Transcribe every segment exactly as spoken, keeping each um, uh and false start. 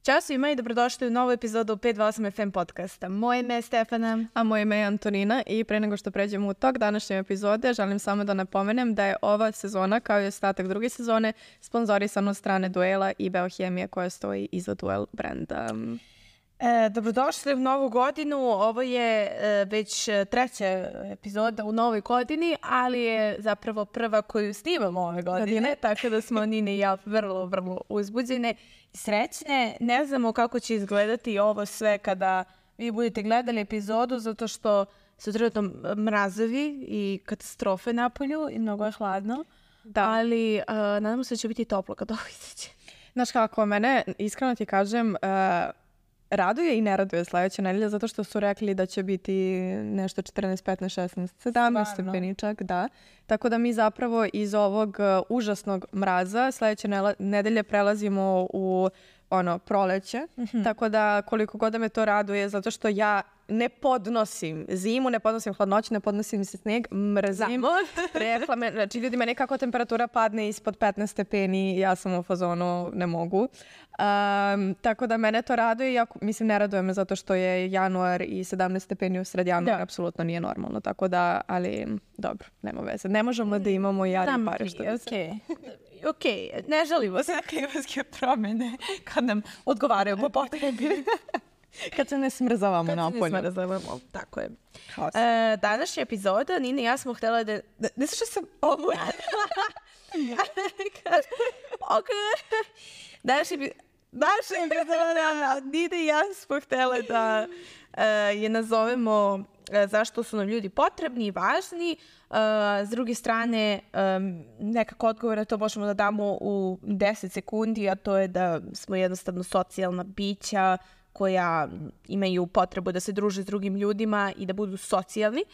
Ćao svima i dobrodošli u novu epizodu pet dva osam F M podcasta. Moje ime je Stefana. A moje ime je Antonina i pre nego što pređemo u tok današnje epizode, želim samo da napomenem da je ova sezona, kao i ostatak druge sezone, sponzorisana od strane Duela i Beohemije koja stoji iza Duel brenda. E, dobrodošli u novu godinu. Ovo je e, već treća epizoda u novoj godini, ali je zapravo prva koju snimamo ove godine, godine. Tako da smo Nina i ja vrlo, vrlo uzbuđene i srećne. Ne znamo kako će izgledati ovo sve kada vi budete gledali epizodu, zato što su trenutno mrazovi i katastrofe na polju i mnogo je hladno. Da. Ali uh, nadamo se da će biti toplo kad ovo izađe. Znaš kako, mene, iskreno ti kažem, uh, raduje i ne raduje sledeća nedelja zato što su rekli da će biti nešto četrnaest, petnaest, šesnaest, sedamnaest stepeni čak, da. Tako da mi zapravo iz ovog uh, užasnog mraza sledeće nedelje prelazimo u ono, proleće. Mm-hmm. Tako da koliko god da me to raduje, zato što ja ne podnosim zimu, ne podnosim hladnoću, ne podnosim se sneg, mrzim. Rekla me, znači ljudi, meni kako temperatura padne ispod petnaest stepeni, ja sam u fazonu, ne mogu. Um, tako da mene to raduje, ja, mislim ne raduje me zato što je januar i sedamnaest stepeni u sred januara, apsolutno nije normalno, tako da, ali dobro, nema veze. Ne možemo da imamo jari pare što bi se. Ok, ne želimo se na klimatske promjene kad nam odgovaraju po potrebi. Kad se ne smrzavamo napolje. Kad se ne smrzavamo, tako je. E, današnja epizoda, Nina i ja smo htjela da... da ne što sam ovo radila. Ok. Današnja epizoda, Nina i ja smo htjela da uh, je nazovemo uh, zašto su nam ljudi potrebni i važni. Uh, s druge strane, um, nekako odgovore to možemo da damo u deset sekundi, a to je da smo jednostavno socijalna bića koja imaju potrebu da se druže s drugim ljudima i da budu socijalni.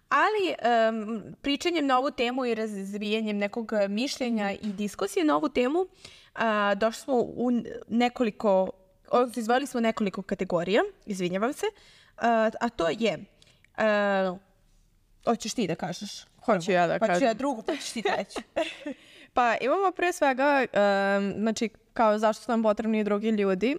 Ali um, pričanjem na ovu temu i razvijanjem nekog mišljenja i diskusije na ovu temu uh, došli smo u nekoliko, odnosno izvojili smo nekoliko kategorija, izvinjavam se, uh, a to je, uh, hoćeš ti da kažeš? Hoću ja da pa kažem. Pa ću ja drugu, pa ćeš ti treći. Pa imamo pre svega, um, znači kao zašto su nam potrebni drugi ljudi,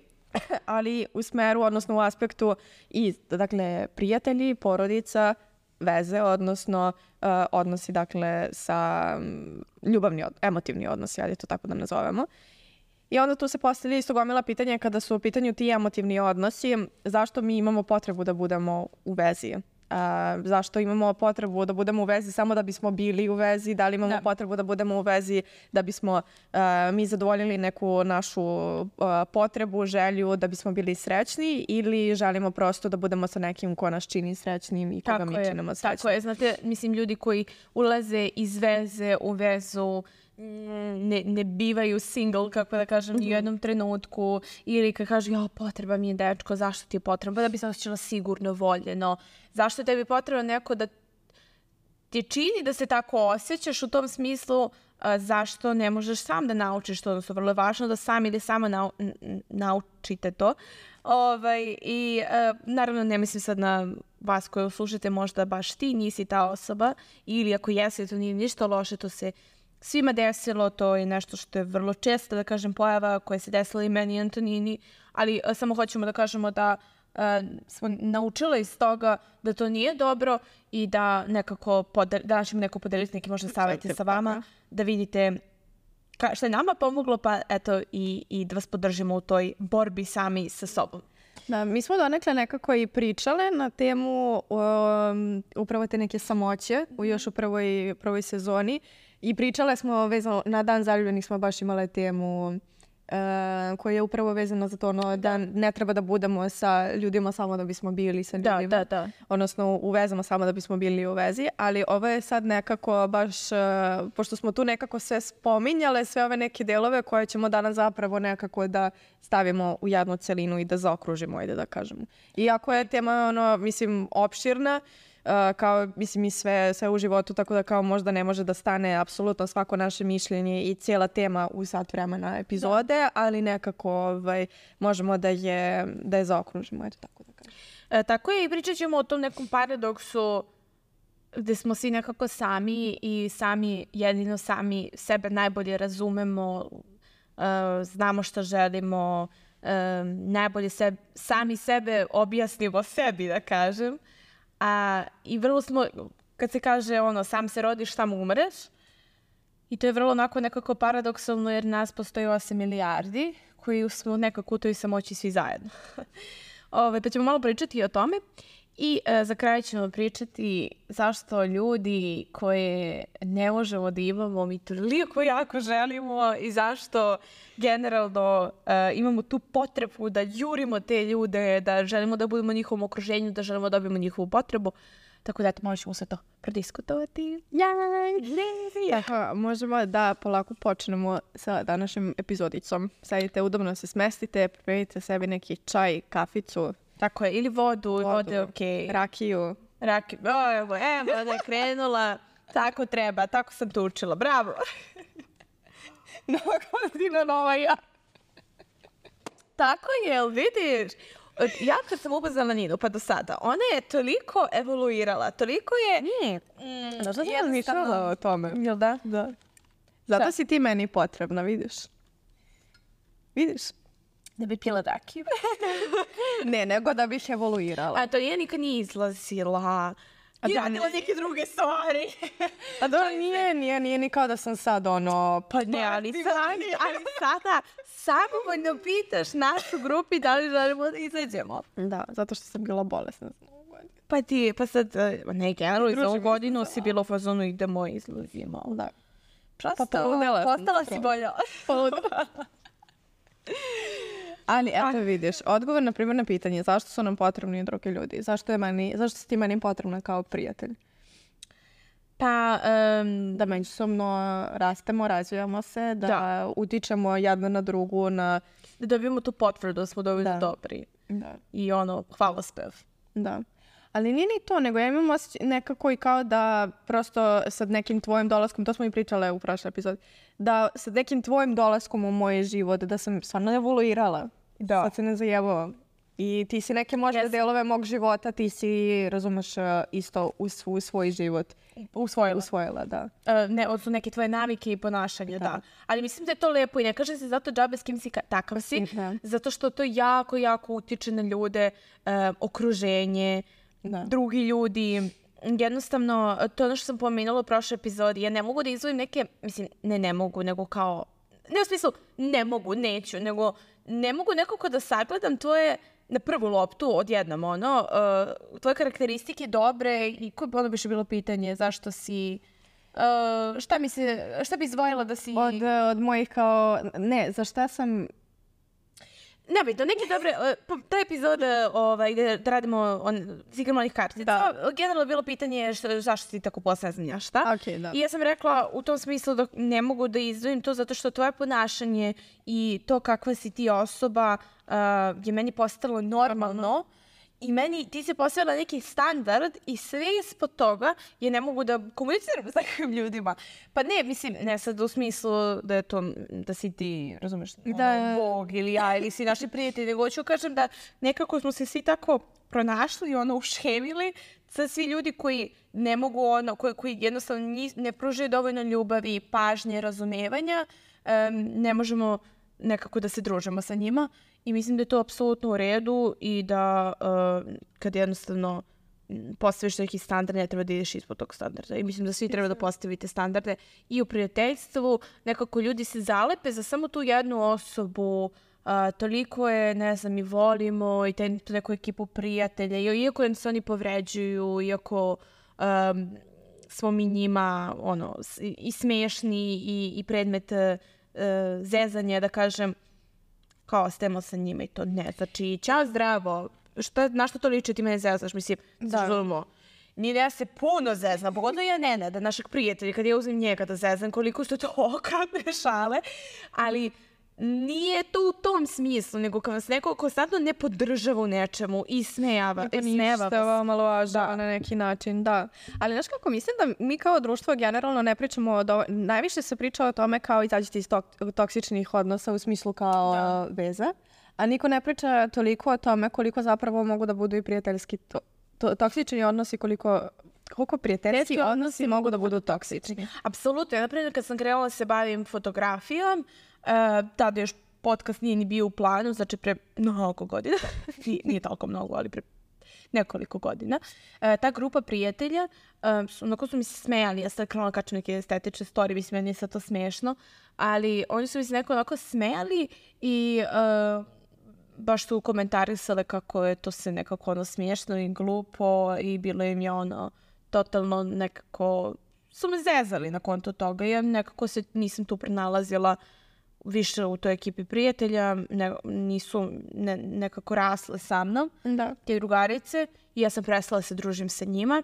ali u smeru, odnosno u aspektu i, dakle, prijatelji, porodica, veze, odnosno uh, odnosi, dakle, sa um, ljubavni, od, emotivni odnosi, ajde to tako da nazovemo. I onda tu se postavlja isto gomila pitanja kada su u pitanju ti emotivni odnosi, zašto mi imamo potrebu da budemo u vezi? Uh, zašto imamo potrebu da budemo u vezi samo da bismo bili u vezi, da li imamo da. potrebu da budemo u vezi da bismo uh, mi zadovoljili neku našu uh, potrebu, želju, da bismo bili srećni ili želimo prosto da budemo sa nekim ko nas čini srećnim i koga mi činimo srećnim. Tako je, znate, mislim ljudi koji ulaze iz veze u vezu Ne, ne bivaju single, kako da kažem, mm-hmm. u jednom trenutku ili kad kažu, ja, potreba mi je dečko, zašto ti je potrebno? Da bi se osjećala sigurno, voljeno. Zašto tebi je potrebno neko da ti čini da se tako osjećaš u tom smislu, a, zašto ne možeš sam da naučiš to, odnosno vrlo je važno da sam ili sama nau, n, naučite to. Ovaj, i a, naravno ne mislim sad na vas koji slušate, možda baš ti nisi ta osoba ili ako jesi, to nije ništa loše, to se svima desilo, to je nešto što je vrlo često, da kažem, pojava koja se desila i meni i Antonini, ali a, samo hoćemo da kažemo da a, smo naučili iz toga da to nije dobro i da nekako, podel, da ćemo neko podeliti neki možda savjeti sa vama, da vidite ka, što je nama pomoglo, pa eto i, i da vas podržimo u toj borbi sami sa sobom. Da, mi smo donekle nekako i pričale na temu um, upravo te neke samoće u još u prvoj, prvoj sezoni i pričale smo vezano, na Dan zaljubljenih smo baš imale temu uh, koja je upravo vezana za to ono, da ne treba da budemo sa ljudima samo da bismo bili sa ljudima. Da, da, da. Odnosno u vezama samo da bismo bili u vezi, ali ovo je sad nekako baš, uh, pošto smo tu nekako sve spominjale, sve ove neke delove koje ćemo danas zapravo nekako da stavimo u jednu celinu i da zaokružimo, ajde da kažemo. Iako je tema, ono, mislim, opširna, Uh, kao, mislim, i sve, sve u životu, tako da kao možda ne može da stane apsolutno svako naše mišljenje i cijela tema u sat vremena epizode, da. ali nekako ovaj, možemo da je, da je zaokružimo, eto tako da kažem. E, tako je i pričat ćemo o tom nekom paradoksu gde smo svi nekako sami i sami, jedino sami sebe najbolje razumemo, uh, znamo šta želimo, um, najbolje seb, sami sebe objasnimo sebi, da kažem. A, i vrlo smo, kad se kaže ono, sam se rodiš, sam umreš, i to je vrlo onako nekako paradoksalno jer nas postoji osam milijardi koji smo nekako u toj samoći svi zajedno. Ove, pa ćemo malo pričati o tome i e, za kraj ćemo pričati zašto ljudi koje ne možemo da imamo, mi toliko jako želimo i zašto generalno e, imamo tu potrebu da jurimo te ljude, da želimo da budemo u njihovom okruženju, da želimo da dobijemo njihovu potrebu. Tako da, eto, možemo sve to prodiskutovati. Tako, možemo da polako počnemo sa današnjom epizodicom. Sedite, udobno se smestite, pripremite sebi neki čaj, kaficu. Tako je, ili vodu, vodu vodu je okej. Okay. Rakiju. Rakiju, o, evo, evo, da je krenula. Tako treba, tako sam to učila. Bravo. Nova godina, nova ja. Tako je, jel vidiš? Ja kad sam upoznala Ninu, pa do sada, ona je toliko evoluirala, toliko je... Nije. Mm, Znaš da sam razmišljala o tome? Jel da? Da. Zato Šta? si ti meni potrebna, vidiš? Vidiš? Da bi pila rakiju. Ne, nego da bih evoluirala. A to je nikad nije izlazila. I radila neke druge stvari. A dobro, nije, nije, nije ni kao da sam sad ono... Pa ne, ali, sad, ali sada samovoljno pitaš nas u grupi da li želimo da izađemo. Da, zato što sam bila bolesna. Pa ti, pa sad, ne, generalno iz ovu godinu si bila u fazonu idemo i izlazimo. Da. Prosto, pa poludela postala si bolja. Poludela. Ali eto vidiš, odgovor na primjer na pitanje zašto su nam potrebni drugi ljudi, zašto je meni, zašto si ti meni potrebna kao prijatelj? Pa, um, da međusobno rastemo, razvijamo se, da, da utičemo jedna na drugu, na... Da dobijemo tu potvrdu da smo dovoljno da. dobri. Da. I ono, hvalospev. Da. Ali nije ni to, nego ja imam osjećaj nekako i kao da prosto sa nekim tvojim dolaskom, to smo i pričale u prošloj epizodi, da sa nekim tvojim dolaskom u moj život, da sam stvarno evoluirala. Da. Sad se ne zajebao. I ti si neke možda yes. delove mog života, ti si, razumeš, isto u, sv- u svoj život usvojila. Usvojila, da. Uh, ne, od su neke tvoje navike i ponašanja, da. da. Ali mislim da je to lepo i ne kaže se zato džabe s kim si ka- takav si, da. Zato što to jako, jako utiče na ljude, uh, okruženje, da. drugi ljudi. Jednostavno, to je ono što sam pomenula u prošloj epizodi. Ja ne mogu da izvojim neke, mislim, ne ne mogu, nego kao, ne u smislu ne mogu, neću, nego ne mogu nekako da sagledam tvoje na prvu loptu odjednom, ono, uh, tvoje karakteristike dobre i koje ono bi še bilo pitanje, zašto si, uh, šta mi se, šta bi izdvojila da si... Od, od mojih kao, ne, za šta sam... Nebitno, neke dobre, uh, ta epizoda ovaj, gde da radimo on, s igrama onih kartica, da. Generalno je bilo pitanje šta, zašto si tako posveznja, šta? Okay, da. I ja sam rekla u tom smislu da ne mogu da izdvojim to zato što tvoje ponašanje i to kakva si ti osoba uh, je meni postalo normalno. I meni, ti si postavila neki standard i sve ispod toga je ne mogu da komuniciram s takvim ljudima. Pa ne, mislim, ne sad u smislu da je to, da si ti, razumeš, da, ono, Bog ili ja ili si naši prijatelji, nego hoću kažem da nekako smo se svi tako pronašli, ono, ušemili sa svi ljudi koji ne mogu, ono, koji, koji jednostavno ne pružaju dovoljno ljubavi, pažnje, razumevanja, um, ne možemo nekako da se družimo sa njima. I mislim da je to apsolutno u redu i da uh, kad jednostavno postaviš neki standard, ne treba da ideš ispod tog standarda. I mislim da svi treba da postavite standarde i u prijateljstvu. Nekako ljudi se zalepe za samo tu jednu osobu. Uh, toliko je, ne znam, i volimo i te, tu neku ekipu prijatelja. I, iako se oni povređuju, iako um, smo mi njima ono, i smešni i, i predmet uh, zezanja, da kažem, kao stemo sa njima i to ne. Znači, čao, zdravo, šta, na što to liči ti mene zezaš? Mislim, da. Želimo. Nije da ja se puno zeznam, pogodno ja ne, da našeg prijatelja, kad ja uzim njega da zeznam, koliko su to okadne šale, ali nije to u tom smislu, nego kad vas neko konstantno ne podržava u nečemu i smejava. I ništava, omalovažava na neki način, da. Ali znaš kako, mislim da mi kao društvo generalno ne pričamo, o do... najviše se priča o tome kao izađite iz tok- toksičnih odnosa u smislu kao da. veza, a niko ne priča toliko o tome koliko zapravo mogu da budu i prijateljski to... To, toksični odnosi, koliko, koliko prijateljski odnosi, odnosi mogu da budu toksični. Apsolutno. Ja, naprimjer, kad sam krenula da se bavim fotografijom, uh, tada još podcast nije ni bio u planu, znači pre mnogo godina, nije, nije toliko mnogo, ali pre nekoliko godina. E, ta grupa prijatelja, e, su, onako su mi se smejali, ja sad krenula kačem neke estetične story, mislim, meni je sad to smešno, ali oni su mi se neko onako smejali i e, baš su komentarisale kako je to se nekako ono smiješno i glupo i bilo im je ono totalno nekako, su me zezali na konto toga. Ja nekako se nisam tu pronalazila više u toj ekipi prijatelja, ne, nisu ne, nekako rasle sa mnom, da. te drugarice, i ja sam prestala se družim sa njima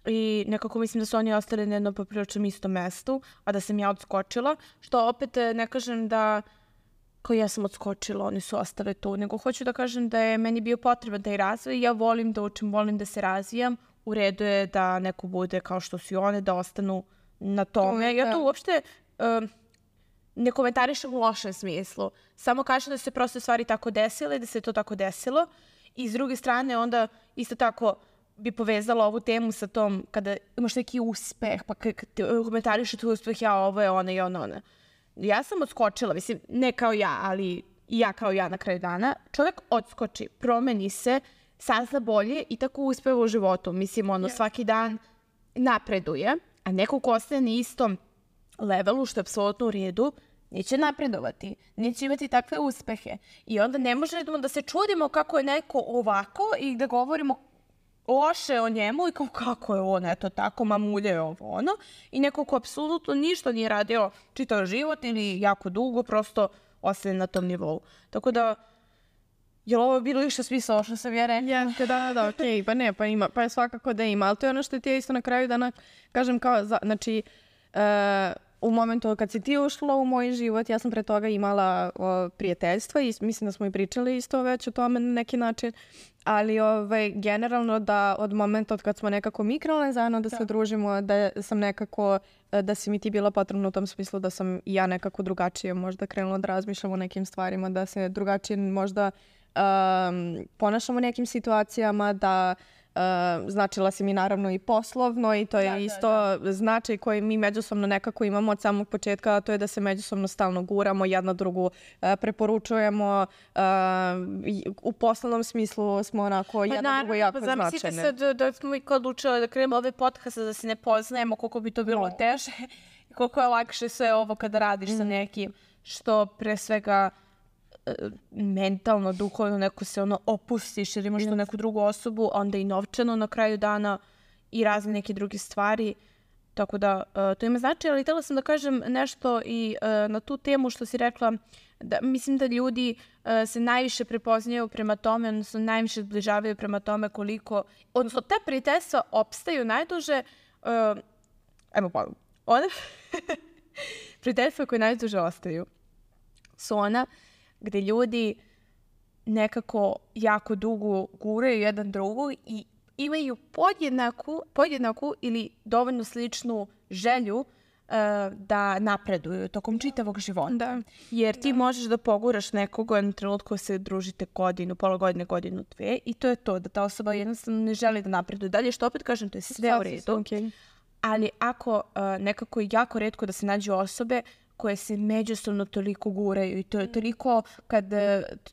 i nekako mislim da su oni ostali na jednom popriličnom istom mestu, a da sam ja odskočila, što opet ne kažem da kao ja sam odskočila, oni su ostali tu, nego hoću da kažem da je meni bio potreban taj razvoj, ja volim da učim, volim da se razvijam, u redu je da neko bude kao što su i one, da ostanu na tome. Ja to uopšte um, ne komentarišem u lošem smislu, samo kažem da se prosto stvari tako desile, da se to tako desilo, i s druge strane onda isto tako bi povezala ovu temu sa tom kada imaš neki uspeh, pa komentariše tu uspeh, ja ovo je ona i ona ona. Ja sam odskočila, mislim, ne kao ja, ali i ja kao ja na kraju dana. Čovjek odskoči, promeni se, sazna bolje i tako uspeva u životu. Mislim, ono, yes. svaki dan napreduje, a neko ko ostaje na istom levelu, što je apsolutno u redu, neće napredovati, neće imati takve uspehe. I onda ne možemo da se čudimo kako je neko ovako i da govorimo loše o njemu i kao kako je on, eto tako, mamulje je ovo ono. I neko ko apsolutno ništa nije radio čitav život ili jako dugo, prosto ostaje na tom nivou. Tako da, je li ovo bilo više smisla što sam ja rekla? Jeste, da, da, da, okej, okay. Pa ne, pa ima, pa je svakako da ima, ali to je ono što ti je isto na kraju dana, kažem kao, za, znači, uh, u momentu kad si ti ušla u moj život, ja sam pre toga imala o, prijateljstva i mislim da smo i pričali isto već o tome na neki način, ali ovaj, generalno da od momenta od kad smo nekako mi krenule zajedno da se družimo, da sam nekako, da si mi ti bila potrebna u tom smislu da sam i ja nekako drugačije možda krenula da razmišljam o nekim stvarima, da se drugačije možda um, ponašamo u nekim situacijama, da Uh, značila si mi naravno i poslovno i to je da, isto da, da. značaj koji mi međusobno nekako imamo od samog početka, a to je da se međusobno stalno guramo, jedna drugu uh, preporučujemo, uh, u poslovnom smislu smo onako pa jedna naravno, drugo jako pa značajne. Zamislite sad da, da smo i kad odlučili da krenemo ove podcaste da se ne poznajemo, koliko bi to bilo no. teže i koliko je lakše sve ovo kada radiš mm. sa nekim, što pre svega mentalno, duhovno neko se ono opustiš jer imaš yes. tu neku drugu osobu, onda i novčano na kraju dana i razne neke druge stvari. Tako da uh, to ima znači, ali htjela sam da kažem nešto i uh, na tu temu što si rekla, da mislim da ljudi uh, se najviše prepoznaju prema tome, odnosno najviše zbližavaju prema tome koliko, odnosno te prijateljstva opstaju najduže, uh, ajmo pa, one prijateljstva koje najduže ostaju su ona gde ljudi nekako jako dugo guraju jedan drugu i imaju podjednaku, podjednaku ili dovoljno sličnu želju uh, da napreduju tokom čitavog života. Da. Jer ti da. možeš da poguraš nekoga u jednom trenutku se družite godinu, pola godine, godinu, dve i to je to, da ta osoba jednostavno ne želi da napreduje dalje, što opet kažem, to je sve u redu. Okay. Ali ako uh, nekako je jako retko da se nađu osobe koje se međusobno toliko guraju i to je toliko, kad,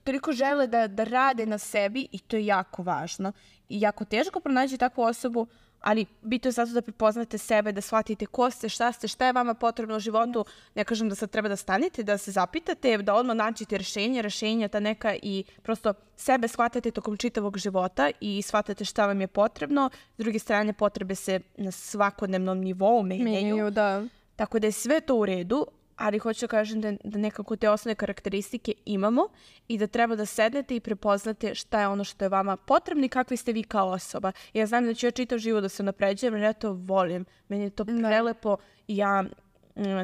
toliko žele da, da rade na sebi i to je jako važno. I jako teško pronaći takvu osobu, ali bitno je zato da prepoznate sebe, da shvatite ko ste, šta ste, šta je vama potrebno u životu. Ne kažem da sad treba da stanete, da se zapitate, da odmah nađete rješenje, rješenja ta neka i prosto sebe shvatate tokom čitavog života i shvatate šta vam je potrebno. S druge strane, potrebe se na svakodnevnom nivou menjaju. Da. Tako da je sve to u redu, ali hoću da kažem da, da nekako te osnovne karakteristike imamo i da treba da sednete i prepoznate šta je ono što je vama potrebno i kakvi ste vi kao osoba. Ja znam da ću ja čitav život da se napređujem, jer ja to volim. Meni je to prelepo i ja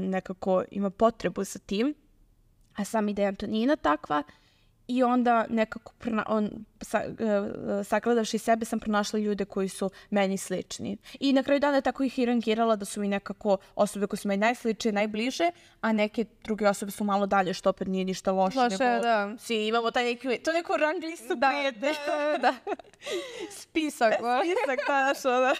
nekako imam potrebu sa tim, a sam ideja Antonina takva I onda nekako prna, on, sa, uh, sagledavši sebe sam pronašla ljude koji su meni slični. I na kraju dana tako ih i rangirala da su mi nekako osobe koje su meni najsličnije, najbliže, a neke druge osobe su malo dalje, što opet nije ništa loše. Loše, nego da. Svi imamo taj neki, to neko rang listu Da, prijatelja. da, da. Spisak, o. Spisak, da, što da.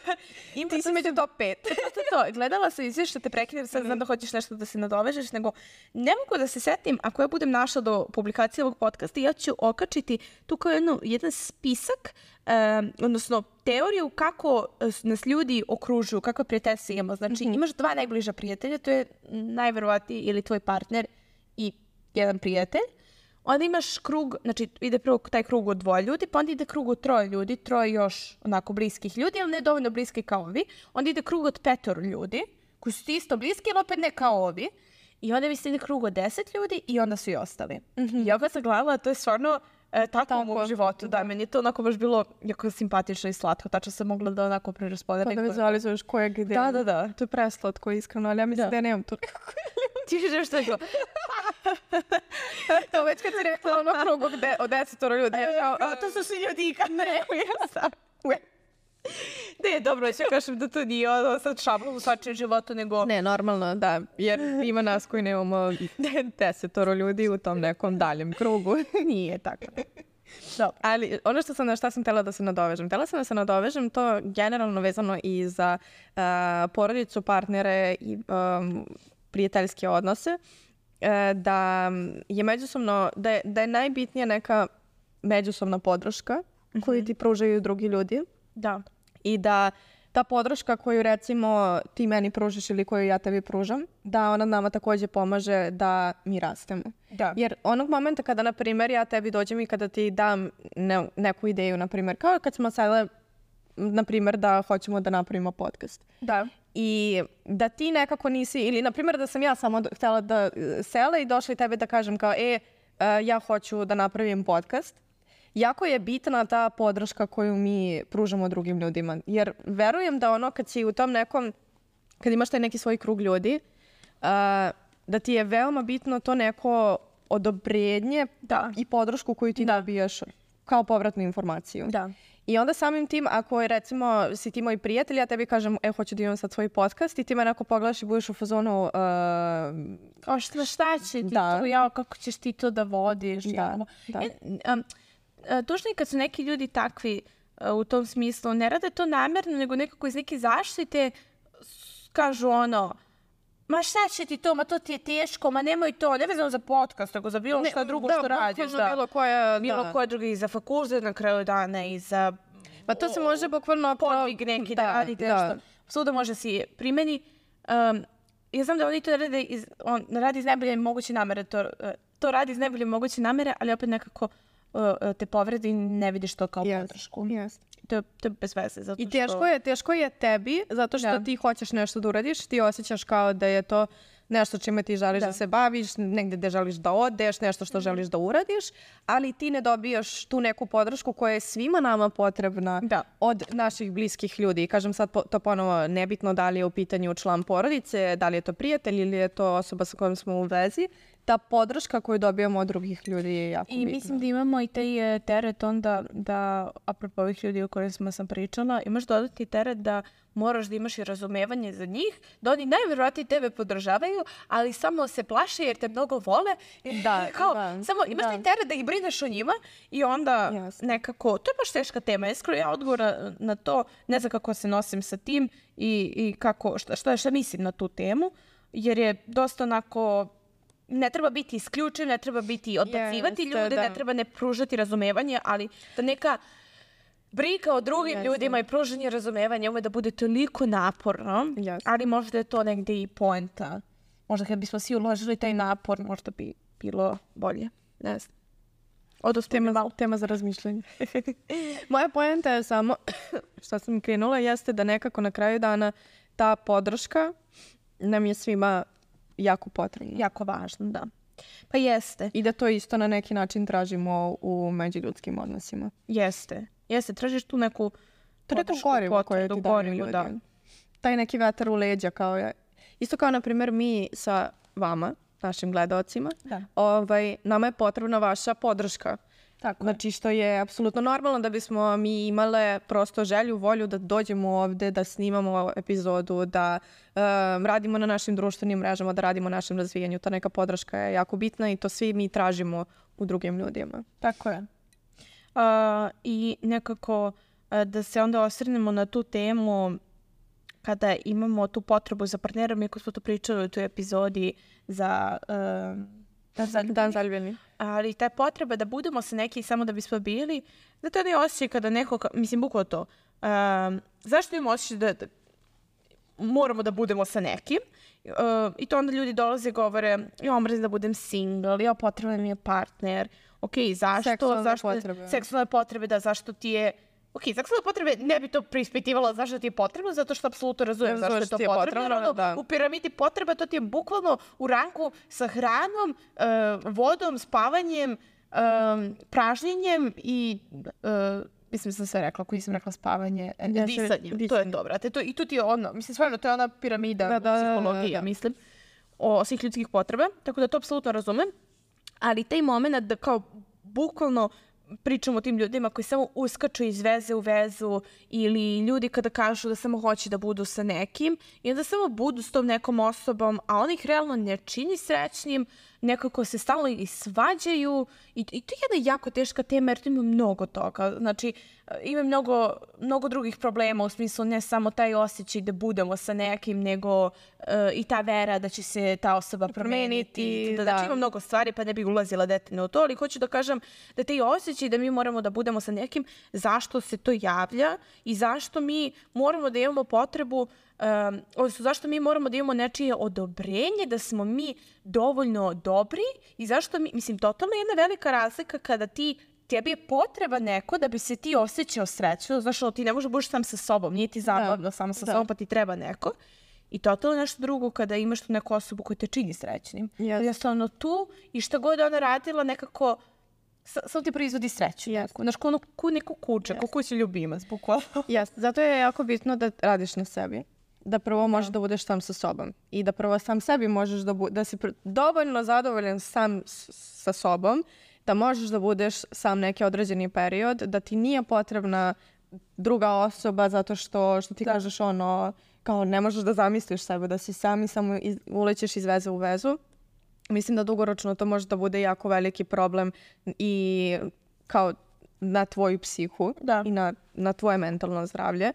Ti si među top pet. To, to, gledala sam izvješće, te prekidam, sad znam da hoćeš nešto da se nadovežeš, nego ne mogu da se setim, ako ja budem našla do publikacije ovog podcasta, ja ću okačiti tu kao jednu, jedan spisak, um, odnosno teoriju kako nas ljudi okružuju, kakve prijateljstva imamo. Znači, mm-hmm. imaš dva najbliža prijatelja, to je najverovatniji ili tvoj partner i jedan prijatelj. Onda imaš krug, znači ide prvo taj krug od dvoje ljudi, pa onda ide krug od troje ljudi, troje još onako bliskih ljudi, ali ne dovoljno bliski kao ovi. Onda ide krug od petoro ljudi, koji su ti isto bliski, ali opet ne kao ovi. I onda mislim ide krug od deset ljudi i onda su i ostali. Mm-hmm. I ja kad sam gledala, to je stvarno e, tako, tako u mom životu. Da, meni je to onako baš bilo jako simpatično i slatko. Tačno sam mogla da onako preraspodelim. Pa da vizualizuješ koje gdje. Da, da, da. To je preslatko, iskreno, ali ja mislim da, da ja nemam to. Ti viš što je to? To već kad si rekla ono krugu od desetoro ljudi. A, a, to su svi ljudi i kad ne, ja sam. Ne, dobro, ja ću kažem da to nije ono sad šablon u svačijem životu, nego... Ne, normalno, da, jer ima nas koji nemamo desetoro ljudi u tom nekom daljem krugu. Nije tako. Da. Ali ono što sam, na šta sam htjela da se nadovežem, htjela sam da se nadovežem to generalno vezano i za uh, porodicu, partnere i um, prijateljske odnose, uh, da je međusobno, da je, da je najbitnija neka međusobna podrška mm-hmm. koju ti pružaju drugi ljudi. Da. I da ta podrška koju recimo ti meni pružiš ili koju ja tebi pružam, da ona nama također pomaže da mi rastemo. Da. Jer onog momenta kada, na primjer, ja tebi dođem i kada ti dam ne, neku ideju, na primjer, kao kad smo sada, na primjer, da hoćemo da napravimo podcast. Da. I da ti nekako nisi, ili na primjer da sam ja samo htjela da sela i došla i tebe da kažem kao, e, ja hoću da napravim podcast. Jako je bitna ta podrška koju mi pružamo drugim ljudima. Jer verujem da ono kad si u tom nekom, kad imaš taj neki svoj krug ljudi, uh, da ti je veoma bitno to neko odobrenje da. I podršku koju ti da. Dobijaš kao povratnu informaciju. Da. I onda samim tim, ako je recimo si ti moj prijatelj, ja tebi kažem, e, hoću da imam sad svoj podcast i ti me neko pogledaš i budeš u fazonu... Uh, o šta, šta će ti da. To? Ja, kako ćeš ti to da vodiš? Da, ja. da. E, um, tužno je kad su neki ljudi takvi uh, u tom smislu, ne rade to namjerno, nego nekako iz neke zaštite kažu ono, ma šta će ti to, ma to ti je teško, ma nemoj to, ne vezano za podcast, nego za bilo šta drugo da, što radiš. Da, bilo koja, bilo da. koja druga i za fakultet na kraju dana i za... Pa to se može bukvalno... Podvig neki da, da radite nešto. Svuda može si primeni. Um, ja znam da oni to rade iz, on radi iz najbolje moguće namere, to, to radi iz najbolje moguće namere, ali opet nekako te povredi i ne vidiš to kao yes. podršku. Yes. To, je, to je bez veze. Zato I teško, što... je, teško je tebi, zato što da. Ti hoćeš nešto da uradiš, ti osjećaš kao da je to nešto čime ti želiš da, da se baviš, negdje gdje želiš da odeš, nešto što želiš da uradiš, ali ti ne dobijaš tu neku podršku koja je svima nama potrebna da. Od naših bliskih ljudi. I kažem sad to ponovo, nebitno da li je u pitanju član porodice, da li je to prijatelj ili je to osoba sa kojom smo u vezi, ta podrška koju dobijamo od drugih ljudi je jako I bitna. Mislim da imamo i taj teret onda da, apropo ovih ljudi o kojima sam pričala, imaš dodati teret da moraš da imaš i razumevanje za njih, da oni najvjerojatnije tebe podržavaju, ali samo se plaše jer te mnogo vole. Da, kao, da, samo imaš da. taj teret da ih brineš o njima i onda yes. nekako, to je baš teška tema. Iskreno ja odgovor na to, ne znam kako se nosim sa tim i, i kako, šta, šta, šta mislim na tu temu, jer je dosta onako... Ne treba biti isključen, ne treba biti odbacivati yes, ljude, da. Ne treba ne pružati razumevanje, ali da neka briga o drugim yes, ljudima i pružanje razumevanja ume da bude toliko naporno, yes. ali možda je to negdje i poenta. Možda kad bismo svi uložili taj napor, možda bi bilo bolje. Ne znam. Odnosno tema, malo. Tema za razmišljanje. Moja poenta je samo, što sam krenula, jeste da nekako na kraju dana ta podrška nam je svima jako potrebno. Jako važno, da. Pa jeste. I da to isto na neki način tražimo u međuljudskim odnosima. Jeste. Jeste, tražiš tu neku to neku gorivu koju ti daju ljudi. Da. Taj neki vetar u leđa kao je. Isto kao, na primjer, mi sa vama našim gledaocima. Da. Ovaj, nama je potrebna vaša podrška. Tako Znači što je apsolutno normalno da bismo mi imale prosto želju, volju da dođemo ovde, da snimamo epizodu, da um, radimo na našim društvenim mrežama, da radimo na našem razvijanju. Ta neka podrška je jako bitna i to svi mi tražimo u drugim ljudima. Tako je. Uh, I nekako uh, da se onda osvrnemo na tu temu kada imamo tu potrebu za partnerom, iako smo to pričali u toj epizodi za uh, Dan zaljubljenih. Dan zaljubljenih. Ali ta potreba da budemo sa neki samo da bismo bili, da to ne osjećaj kada neko, mislim, bukvalno to. Um, zašto imamo osjećaj da, da moramo da budemo sa nekim? Uh, I to onda ljudi dolaze i govore, ja mrzim da budem single, ja potreban mi je partner. Ok, zašto? Seksualne zašto, potrebe. Seksualne potrebe, da, zašto ti je... Ok, seksualne potrebe ne bi to preispitivala zašto ti je potrebno, zato što apsolutno razumem zašto je to je potrebno. potrebno da. U piramidi potreba to ti je bukvalno u ranku sa hranom, uh, vodom, spavanjem, um, pražnjenjem i... Uh, mislim sam sve rekla, ako nisam rekla spavanje, ja disanjem. Disanje. To je to, brate. To, I tu ti je ono, mislim, stvarno, to je ona piramida da, da, psihologije, da, da, da. mislim, o svih ljudskih potreba. Tako da to apsolutno razumem. Ali taj moment da kao bukvalno pričamo o tim ljudima koji samo uskaču iz veze u vezu ili ljudi kada kažu da samo hoće da budu sa nekim i onda samo budu s tom nekom osobom, a on ih realno ne čini srećnim, nekako se stalno i svađaju i, i to je jedna jako teška tema jer tu ima mnogo toga. Znači, ima mnogo, mnogo drugih problema u smislu ne samo taj osjećaj da budemo sa nekim, nego uh, i ta vera da će se ta osoba promeniti. Da, da. Znači, ima mnogo stvari pa ne bi ulazila detaljno u to, ali hoću da kažem da taj osjećaj da mi moramo da budemo sa nekim, zašto se to javlja i zašto mi moramo da imamo potrebu Um, odnosno zašto mi moramo da imamo nečije odobrenje da smo mi dovoljno dobri i zašto mi, mislim, totalno je jedna velika razlika kada ti, tebi je potreba neko da bi se ti osjećao srećno, znaš, ti ne možeš budeš sam sa sobom, nije ti zabavno samo sa da. sobom, pa ti treba neko. I totalno nešto drugo kada imaš tu neku osobu koja te čini srećnim. Yes. Jednostavno tu i šta god ona radila nekako samo ti proizvodi sreću. Yes. Znaš, ko ono, ku neko kuće, yes. ko kući ljubimac, bukvalno. Yes. Zato je jako bitno da radiš na sebi. Da prvo možeš da, da budeš sam sa sobom i da prvo sam sebi možeš da, bu- da si pr- dovoljno zadovoljan sam s- sa sobom, da možeš da budeš sam neki određeni period, da ti nije potrebna druga osoba zato što, što ti da. kažeš ono, kao ne možeš da zamisliš sebe, da si sam i samo iz- ulećeš iz veze u vezu. Mislim da dugoročno to može da bude jako veliki problem i kao na tvoju psihu da. i na, na tvoje mentalno zdravlje.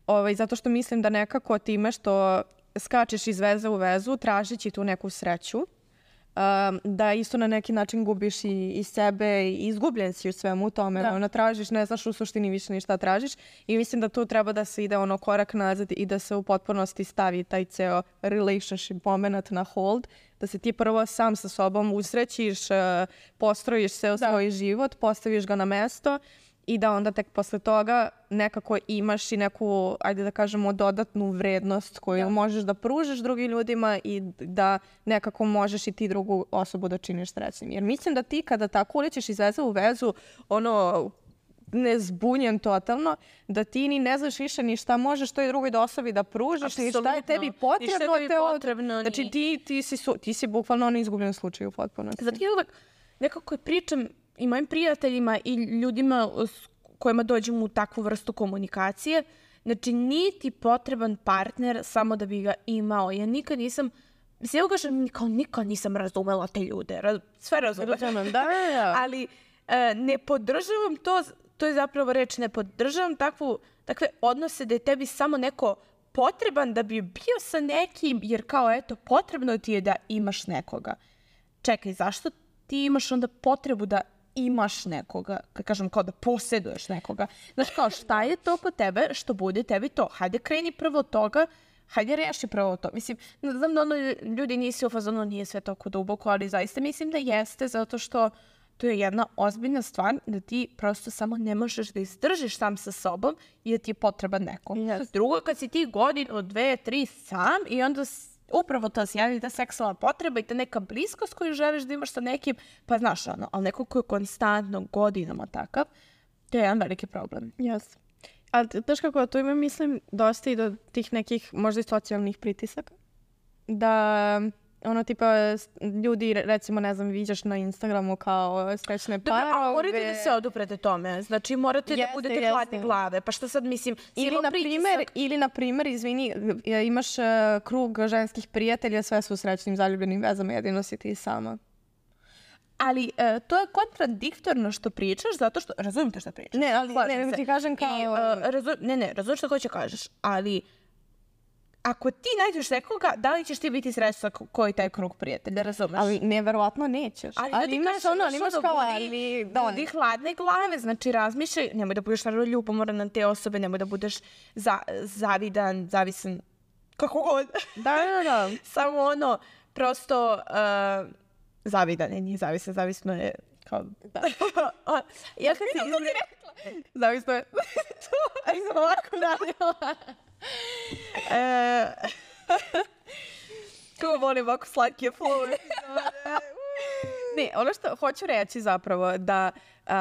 Ovaj, zato što mislim da nekako time što skačeš iz veze u vezu, tražići tu neku sreću, um, da isto na neki način gubiš i, i sebe i izgubljen si u svemu tome. Da. Ono, tražiš, ne znaš u suštini više ni šta tražiš i mislim da tu treba da se ide ono korak nazad i da se u potpunosti stavi taj ceo relationship moment na hold, da se ti prvo sam sa sobom usrećiš, uh, postrojiš se u da. svoj život, postaviš ga na mesto i da onda tek posle toga nekako imaš i neku, ajde da kažemo, dodatnu vrednost koju da. možeš da pružiš drugim ljudima i da nekako možeš i ti drugu osobu da činiš srećnim. Jer mislim da ti kada tako ulećeš iz veze u vezu, ono, nezbunjen totalno, da ti ni ne znaš više ni šta možeš toj drugoj osobi da pružiš i šta je tebi potrebno. Tebi potrebno znači ti, ti, si, su, ti si bukvalno ono izgubljen slučaj u potpunosti. Zato ja uvek nekako pričam i mojim prijateljima i ljudima s kojima dođem u takvu vrstu komunikacije, znači nije ti potreban partner samo da bi ga imao. Ja nikad nisam, mislim, ja kažem, kao nikad nisam razumela te ljude. Raz, sve razumem. Da, da. Ali e, ne podržavam to, to je zapravo reč, ne podržavam takvu, takve odnose da je tebi samo neko potreban da bi bio sa nekim, jer kao eto, potrebno ti je da imaš nekoga. Čekaj, zašto ti imaš onda potrebu da imaš nekoga, kad kažem kao da posjeduješ nekoga. Znaš kao šta je to kod tebe što bude tebi to? Hajde kreni prvo od toga, hajde reši prvo to. Mislim, znam da ono ljudi nisi u fazonu, nije sve toliko duboko, ali zaista mislim da jeste zato što to je jedna ozbiljna stvar da ti prosto samo ne možeš da izdržiš sam sa sobom i da ti je potreban neko. Yes. Drugo, kad si ti godinu, dve, tri sam i onda upravo to se javi ta seksualna potreba i ta neka bliskost koju želiš da imaš sa nekim, pa znaš ono, ali neko ko je konstantno godinama takav, to je jedan veliki problem. Yes. Ali znaš kako, tu ima mislim dosta i do tih nekih možda i socijalnih pritisaka. Da ono tipa s- ljudi, recimo, ne znam, viđaš na Instagramu kao srećne Dobro, parove. a morate da se oduprete tome. Znači, morate da Jeste, budete jeste. hladne glave. Pa šta sad, mislim, Ili silom na primer, pritisak- ili na primer, izvini, e, imaš e, krug ženskih prijatelja, sve su u srećnim zaljubljenim vezama, jedino si ti sama. Ali e, to je kontradiktorno što pričaš, zato što... Razumijem te šta pričaš. Ne, ali Slažem ne, nego se. ti kažem kao... I, e, razu- ne, ne, razumijem što hoće kažeš, ali ako ti nađeš nekoga, da li ćeš ti biti srećna ko- koji taj krug prijatelja, razumeš? Ali neverovatno nećeš. Ali, Ali, ja ti imaš kažem, ono, ali znaš, imaš ono, kao, budi- ali... Da, budi hladne glave, znači razmišljaj, nemoj da budeš naravno ljubomoran na te osobe, nemoj da budeš za, zavidan, zavisan, kako god. da, da, da. Samo ono, prosto uh, zavidan, ne, nije zavisan, zavisno je kao... Da. ja kad se izre... Zavisno je. Ali sam ovako radila. e, kako volim ovako slatke flove. Ne, ono što hoću reći zapravo da, uh,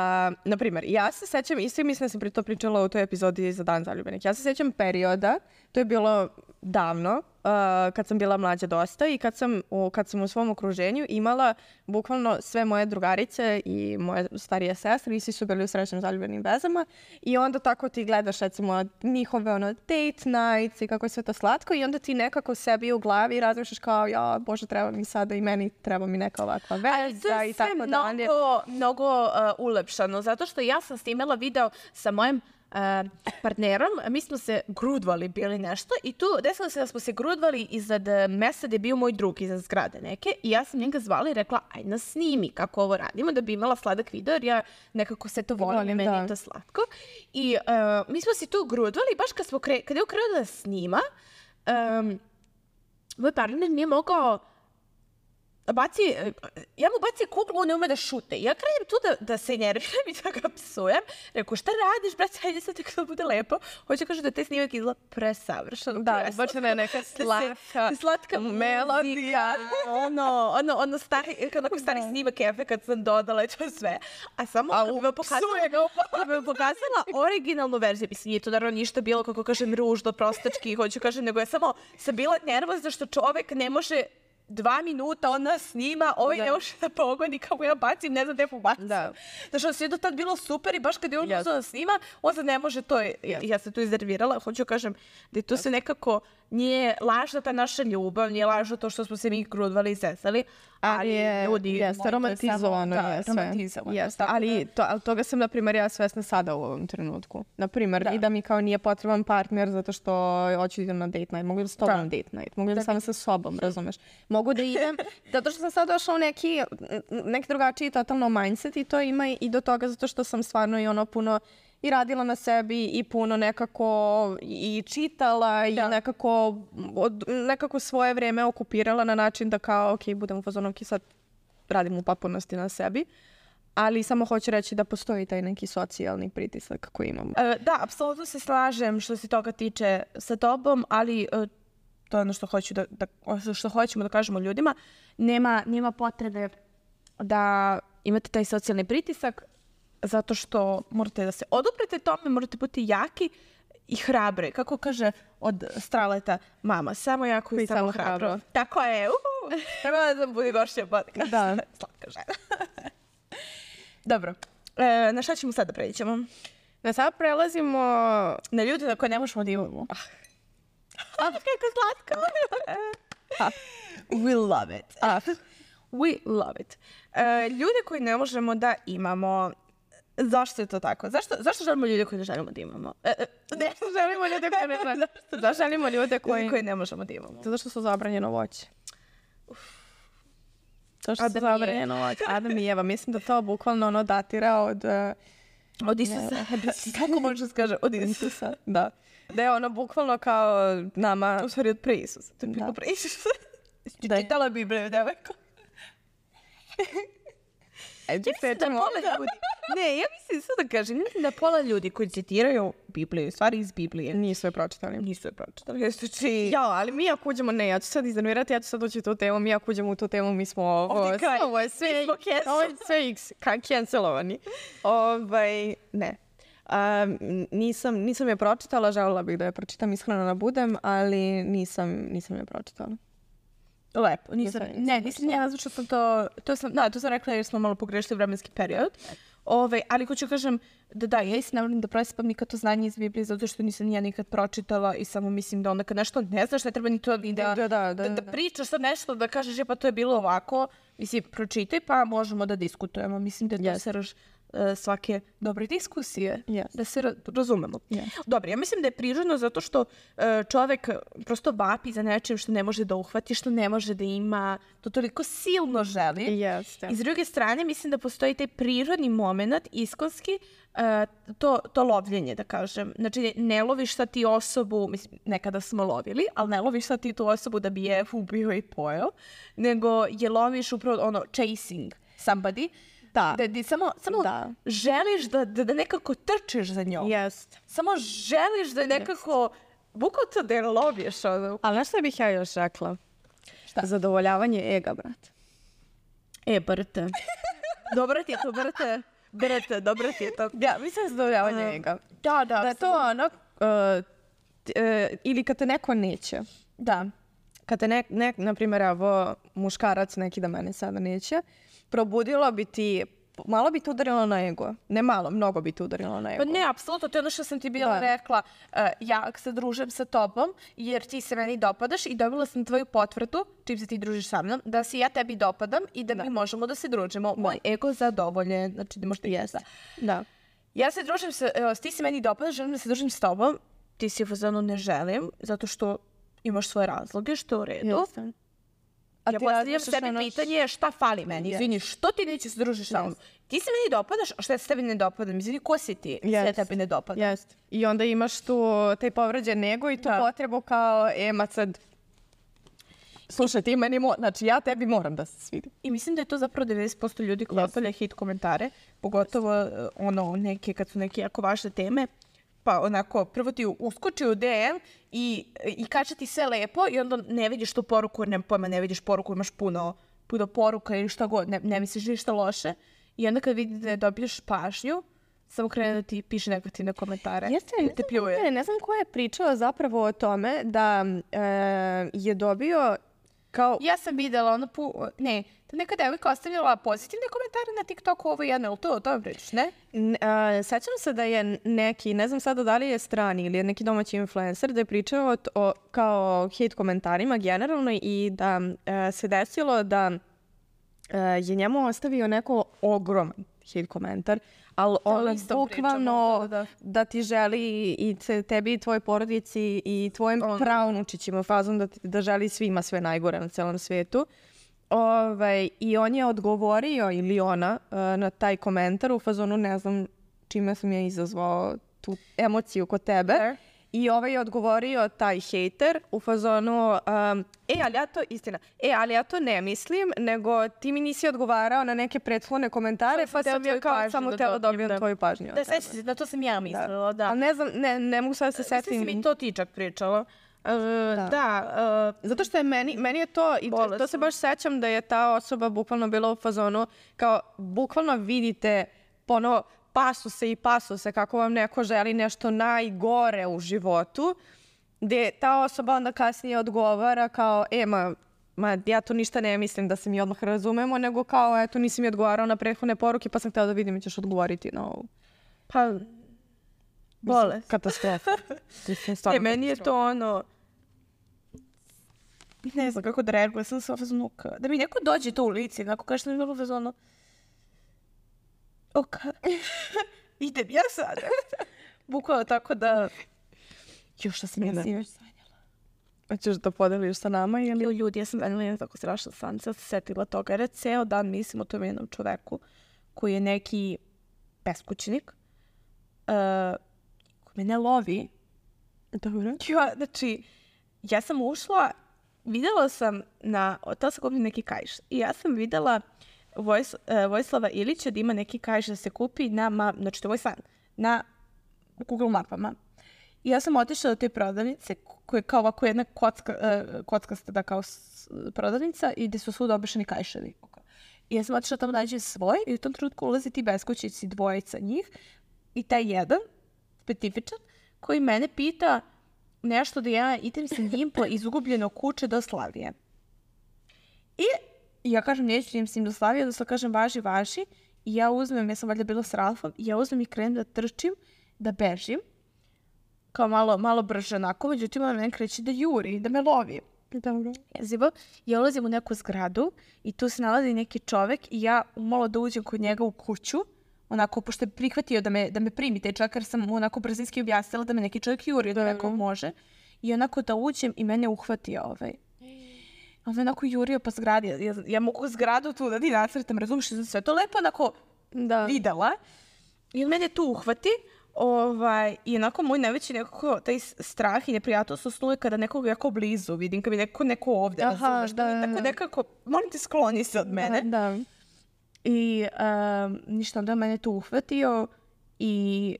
na primjer, ja se sećam, i svi mislim da sam pri to pričala u toj epizodi za Dan zaljubljenih, ja se sećam perioda, to je bilo davno, uh, kad sam bila mlađa dosta i kad sam, u, kad sam u svom okruženju imala bukvalno sve moje drugarice i moje starije sestre i svi su bili u srećnim zaljubljenim vezama i onda tako ti gledaš recimo njihove ono date nights i kako je sve to slatko i onda ti nekako sebi u glavi razmišljaš kao ja, bože, treba mi sada i meni treba mi neka ovakva Ali to veza je i sve tako dalje. mnogo, mnogo uh, ulepšano, zato što ja sam snimala video sa mojim uh, partnerom, mi smo se grudvali bili nešto i tu desilo se da smo se grudvali iznad uh, mesta gde je bio moj drug iznad zgrade neke i ja sam njega zvala i rekla aj nas snimi kako ovo radimo da bi imala sladak video jer ja nekako se to volim, Volim, meni da. je to slatko i uh, mi smo se tu grudvali baš kad, smo kre, kad je ukrenuo da snima um, moj partner nije mogao baci, ja mu baci kuglu, on ne ume da šute. Ja krenem tu da, da se nerviram i da ga psujem. Rekao, šta radiš, brate, hajde sad tako da bude lepo. Hoće kaže da te snimak izgleda presavršeno. Da, preslatno. izbačena je neka slatka, slatka melodija. ono, ono, ono stari, onako stari snimak efekat sam dodala i to sve. A samo A kad bi vam pokazala, kad bi vam pokazala originalnu verziju, mislim, nije to naravno ništa bilo, kako kažem, ružno, prostački, hoću kažem, nego je samo sam bila nervozna što čovek ne može dva minuta on nas snima, ovaj Da. ne može da pogodi kako ja bacim, ne znam gde pobacim. Da. Znači, ono sve je do tad bilo super i baš kad je on Yes. uzeo da snima, on sad ne može to. Ja, ja se tu iznervirala, hoću kažem da je to se nekako nije lažna ta naša ljubav, nije lažno to što smo se mi grudvali i zesali, ali je, ljudi... jeste, molim, to je samo- romantizovano da, je sve. romantizovano. Jeste, Tako ali, da- to, ali toga sam, na primjer, ja svesna sada u ovom trenutku. Na primjer, Da. i da mi kao nije potreban partner zato što hoću da idem na date night. Mogu da s tobom Da. na date night. Mogu da sam sa sobom, razumeš? Mogu da idem, zato što sam sad došla u neki, neki drugačiji totalno mindset i to ima i do toga zato što sam stvarno i ono puno i radila na sebi i puno nekako i čitala i Da. nekako, od, nekako svoje vreme okupirala na način da kao, ok, budem u fazonu, ok, sad radim u potpunosti na sebi, ali samo hoću reći da postoji taj neki socijalni pritisak koji imamo. E, da, apsolutno se slažem što se toga tiče sa tobom, ali e, to je ono što, hoću da, da, što hoćemo da kažemo ljudima. Nema, nema potrebe da imate taj socijalni pritisak zato što morate da se oduprete tome, morate biti jaki i hrabre. Kako kaže od Straleta mama, samo jako i, I samo samo hrabro. hrabro. Tako je. Uhu. Treba da bude gošća podcast. Da. Slatka žena. Dobro. E, na šta ćemo sada pređemo? Na sad prelazimo... Na ljude na koje ne možemo da imamo. Ah, kako slatko. Ah. We love it. A, We love it. E, ljude koje ne možemo da imamo. Zašto je to tako? Zašto, zašto želimo ljude koje ne želimo da imamo? E, e, ne, želimo ljude koje ne želimo. Da, želimo ljude koji... ljude koje ne možemo da imamo. Zato što su zabranjeno voće. To što su Adam i Eva. zabranjeno voće. Adam i Eva. Mislim da to bukvalno ono datira od... Uh, Od Isusa. Kako može da se kaže? Od Isusa. da. Da je ono bukvalno kao nama... U stvari od pre Isusa. To je Da. bilo pre Isusa. Da je- Čitala Bibliju, devojko. Ajde, Mislim da pola ljudi... Ne, ja mislim sve da kažem. Mislim da pola ljudi koji citiraju Bibliju, stvari iz Biblije, Nisu je pročitali. nisu je pročitali. Jesu či... Ja, ali mi ako uđemo, ne, ja ću sad iznervirati, ja ću sad ući u tu temu, mi ako uđemo u tu temu, mi smo ovo, Ovdje kraj. ovo je sve, Mi smo cancel. ovo je sve x, ka- cancelovani. Ovaj, ne. Um, nisam, nisam je pročitala, želela bih da je pročitam, iskreno da budem, ali nisam, nisam je pročitala. Lepo, nisam, ne, nisam ja nazvat što sam to, to sam, da, to sam rekla jer smo malo pogrešili vremenski period. Ove, ali hoću kažem da da, ja isto ne volim da presipam nikad to znanje iz Biblije zato što nisam ja nikad pročitala i samo mislim da onda kad nešto ne znaš ne treba ni to da, Da, da, da, da, da da. pričaš sad nešto da kažeš je pa to je bilo ovako, mislim pročitaj pa možemo da diskutujemo, mislim da je to Yes. srž uh, svake dobre diskusije, Yes. da se ra- razumemo. Yes. Dobro, ja mislim da je prirodno zato što uh, čovek prosto vapi za nečim što ne može da uhvati, što ne može da ima, to toliko silno želi. Jeste. I s druge strane, mislim da postoji taj prirodni moment, iskonski, uh, to, to lovljenje, da kažem. Znači, ne loviš sad ti osobu, mislim, nekada smo lovili, ali ne loviš sad ti tu osobu da bi je ubio i pojeo, nego je loviš upravo ono, chasing somebody, Da. da ti samo, samo Da. želiš da, da, da nekako trčeš za njom. Jeste. Samo želiš da nekako, bukvalno to da je loviš. Ono. Ali znaš šta bih ja još rekla? Šta? Zadovoljavanje ega, brat. E, brate. Dobro ti je to, brate. Brate, dobro ti je to. Ja, mislim zadovoljavanje Uh, ega. Da, da. Da je to ono, uh, t- uh, ili kad te neko neće. Da. Kad te, ne, ne, na primjer, evo, muškarac neki da mene sada neće, probudilo bi ti, malo bi te udarilo na ego. Ne malo, mnogo bi te udarilo na ego. Pa ne, apsolutno, to je ono što sam ti bila Da. rekla. Uh, ja se družim sa tobom jer ti se meni dopadaš i dobila sam tvoju potvrdu, čim se ti družiš sa mnom, da se ja tebi dopadam i da, mi možemo da se družimo. Moj ego zadovoljen, znači da možete jesta. Da. Ja se družim sa, evo, ti se meni dopadaš, želim da se družim s tobom, ti si u fazonu ne želim, zato što imaš svoje razloge, što je u redu. Jeste. A Ja ti postavljam razmišljaš sebi ono š- pitanje šta fali meni. Yes. Izvini, što ti nećeš se družiš sa mnom? Ti se meni dopadaš, a što ja se tebi ne dopadam? Izvini, ko si ti? Yes. Yes. Ja tebi ne dopadam. Jeste. I onda imaš tu taj povređen ego i tu Da. potrebu kao, e, ma sad, slušaj, ti meni, mo- znači ja tebi moram da se svidim. I mislim da je to zapravo devedeset posto ljudi koji ostavlja hit komentare, pogotovo uh, ono neke, kad su neke jako važne teme, pa onako prvo ti uskoči u D M i, i kaže ti sve lepo i onda ne vidiš tu poruku, jer nema pojma, ne vidiš poruku, imaš puno, puno poruka ili šta god, ne, ne misliš ništa loše. I onda kad vidi da dobiješ pažnju, samo krene da ti piše negativne komentare. Jeste, da ne te znam, pljuje. ne, ne znam ko je pričao zapravo o tome da e, je dobio kao... Ja sam videla ono pu... Ne, da neka devojka ostavljala pozitivne komentare na TikToku ovo jedno, ili to o tome pričaš, ne? N- a, sećam se da je neki, ne znam sada da li je strani ili je neki domaći influencer da je pričao o, t- o kao hate komentarima generalno i da e, se desilo da e, je njemu ostavio neko ogroman hate komentar, ali on isto bukvalno pričamo, da, da, da. ti želi i te- tebi i tvojoj porodici i tvojim On- pravnučićima fazom da, ti- da želi svima sve najgore na celom svetu. Ovaj, I on je odgovorio, ili ona, uh, na taj komentar u fazonu, ne znam čime sam ja izazvao tu emociju kod tebe. Fair. I ovaj je odgovorio, taj hejter, u fazonu, um, e, ali ja to, istina, e, ali ja to ne mislim, nego ti mi nisi odgovarao na neke prethodne komentare, Samo pa sam sam tvoju ja kao pažnju samo da tela dobijem, dobijem da. tvoju pažnju. od Da, tebe. sećam se, na to sam ja mislila, da. Ali ne znam, ne, ne mogu sad se Mislim setim. si mi to ti čak pričala. Uh, da, uh, Zato što je meni, meni je to, i to, to se Bolesno. baš sećam da je ta osoba bukvalno bila u fazonu, kao bukvalno vidite ono pasuse i pasuse kako vam neko želi nešto najgore u životu, gde ta osoba onda kasnije odgovara kao, e, ma, ma ja to ništa ne mislim da se mi odmah razumemo, nego kao, eto, nisi mi odgovarao na prethodne poruke, pa sam htjela da vidim i ćeš odgovoriti na ovu. pa, bolest. Katastrofa. Mislim, E, stvarno meni je katastrofa. to ono... Ne znam kako da reagujem, sam se fazonu ka- da mi neko dođe to u lice, onako kaže što mi je bilo fazonu... Ok, idem ja sada. Bukvalno tako da... Još što sam ja Da. sinoć sanjala. Hoćeš da podeliš sa nama ili... Jo, ljudi, ja sam sanjala jedna tako strašna san, sad se setila toga, jer ja ceo dan mislim o tom jednom čoveku koji je neki beskućnik, uh, koji me ne lovi. Dobro. Ja, znači, ja sam ušla, videla sam na, tela sam kupiti neki kajš i ja sam videla Vojs, uh, Vojislava Ilića da ima neki kajš da se kupi na, ma, znači to je moj san, na Google mapama. I ja sam otišla do te prodavnice koja je kao ovako jedna kocka, uh, kockasta da kao s- prodavnica i gde su svuda obešeni kajševi. I ja sam otišla tamo da nađem svoj i u tom trenutku ulaze ti beskućnici, dvojica njih i taj jedan, specifičan, koji mene pita nešto da ja idem sa njim po izgubljenog kuće do Slavije. I ja kažem, neću idem s njim do Slavije, odnosno kažem, važi, važi. I ja uzmem, ja sam valjda bila s Ralfom, i ja uzmem i krenem da trčim, da bežim. Kao malo, malo brže onako, međutim, ona mene kreće da juri, da me lovi. Dobro. Jezivo. Ja ulazim u neku zgradu i tu se nalazi neki čovek i ja malo da uđem kod njega u kuću, onako, pošto je prihvatio da me, da me primi taj čovjek, jer sam mu onako brzinski objasnila da me neki čovjek juri, da neko može. I onako da uđem i mene uhvatio ovaj. On me onako jurio po zgradi. Ja, ja mogu zgradu tu da ti nacrtam, razumiješ, sam sve to lepo onako da. videla. I on mene tu uhvati. Ovaj, I onako moj najveći nekako taj strah i neprijatnost usnuje kada nekog jako blizu vidim, kada bi neko, neko ovdje. Aha, razumiješ, da, da, tako nekako, molim te, skloni se od mene. Da, da. I um, ništa, onda mene tu uhvatio i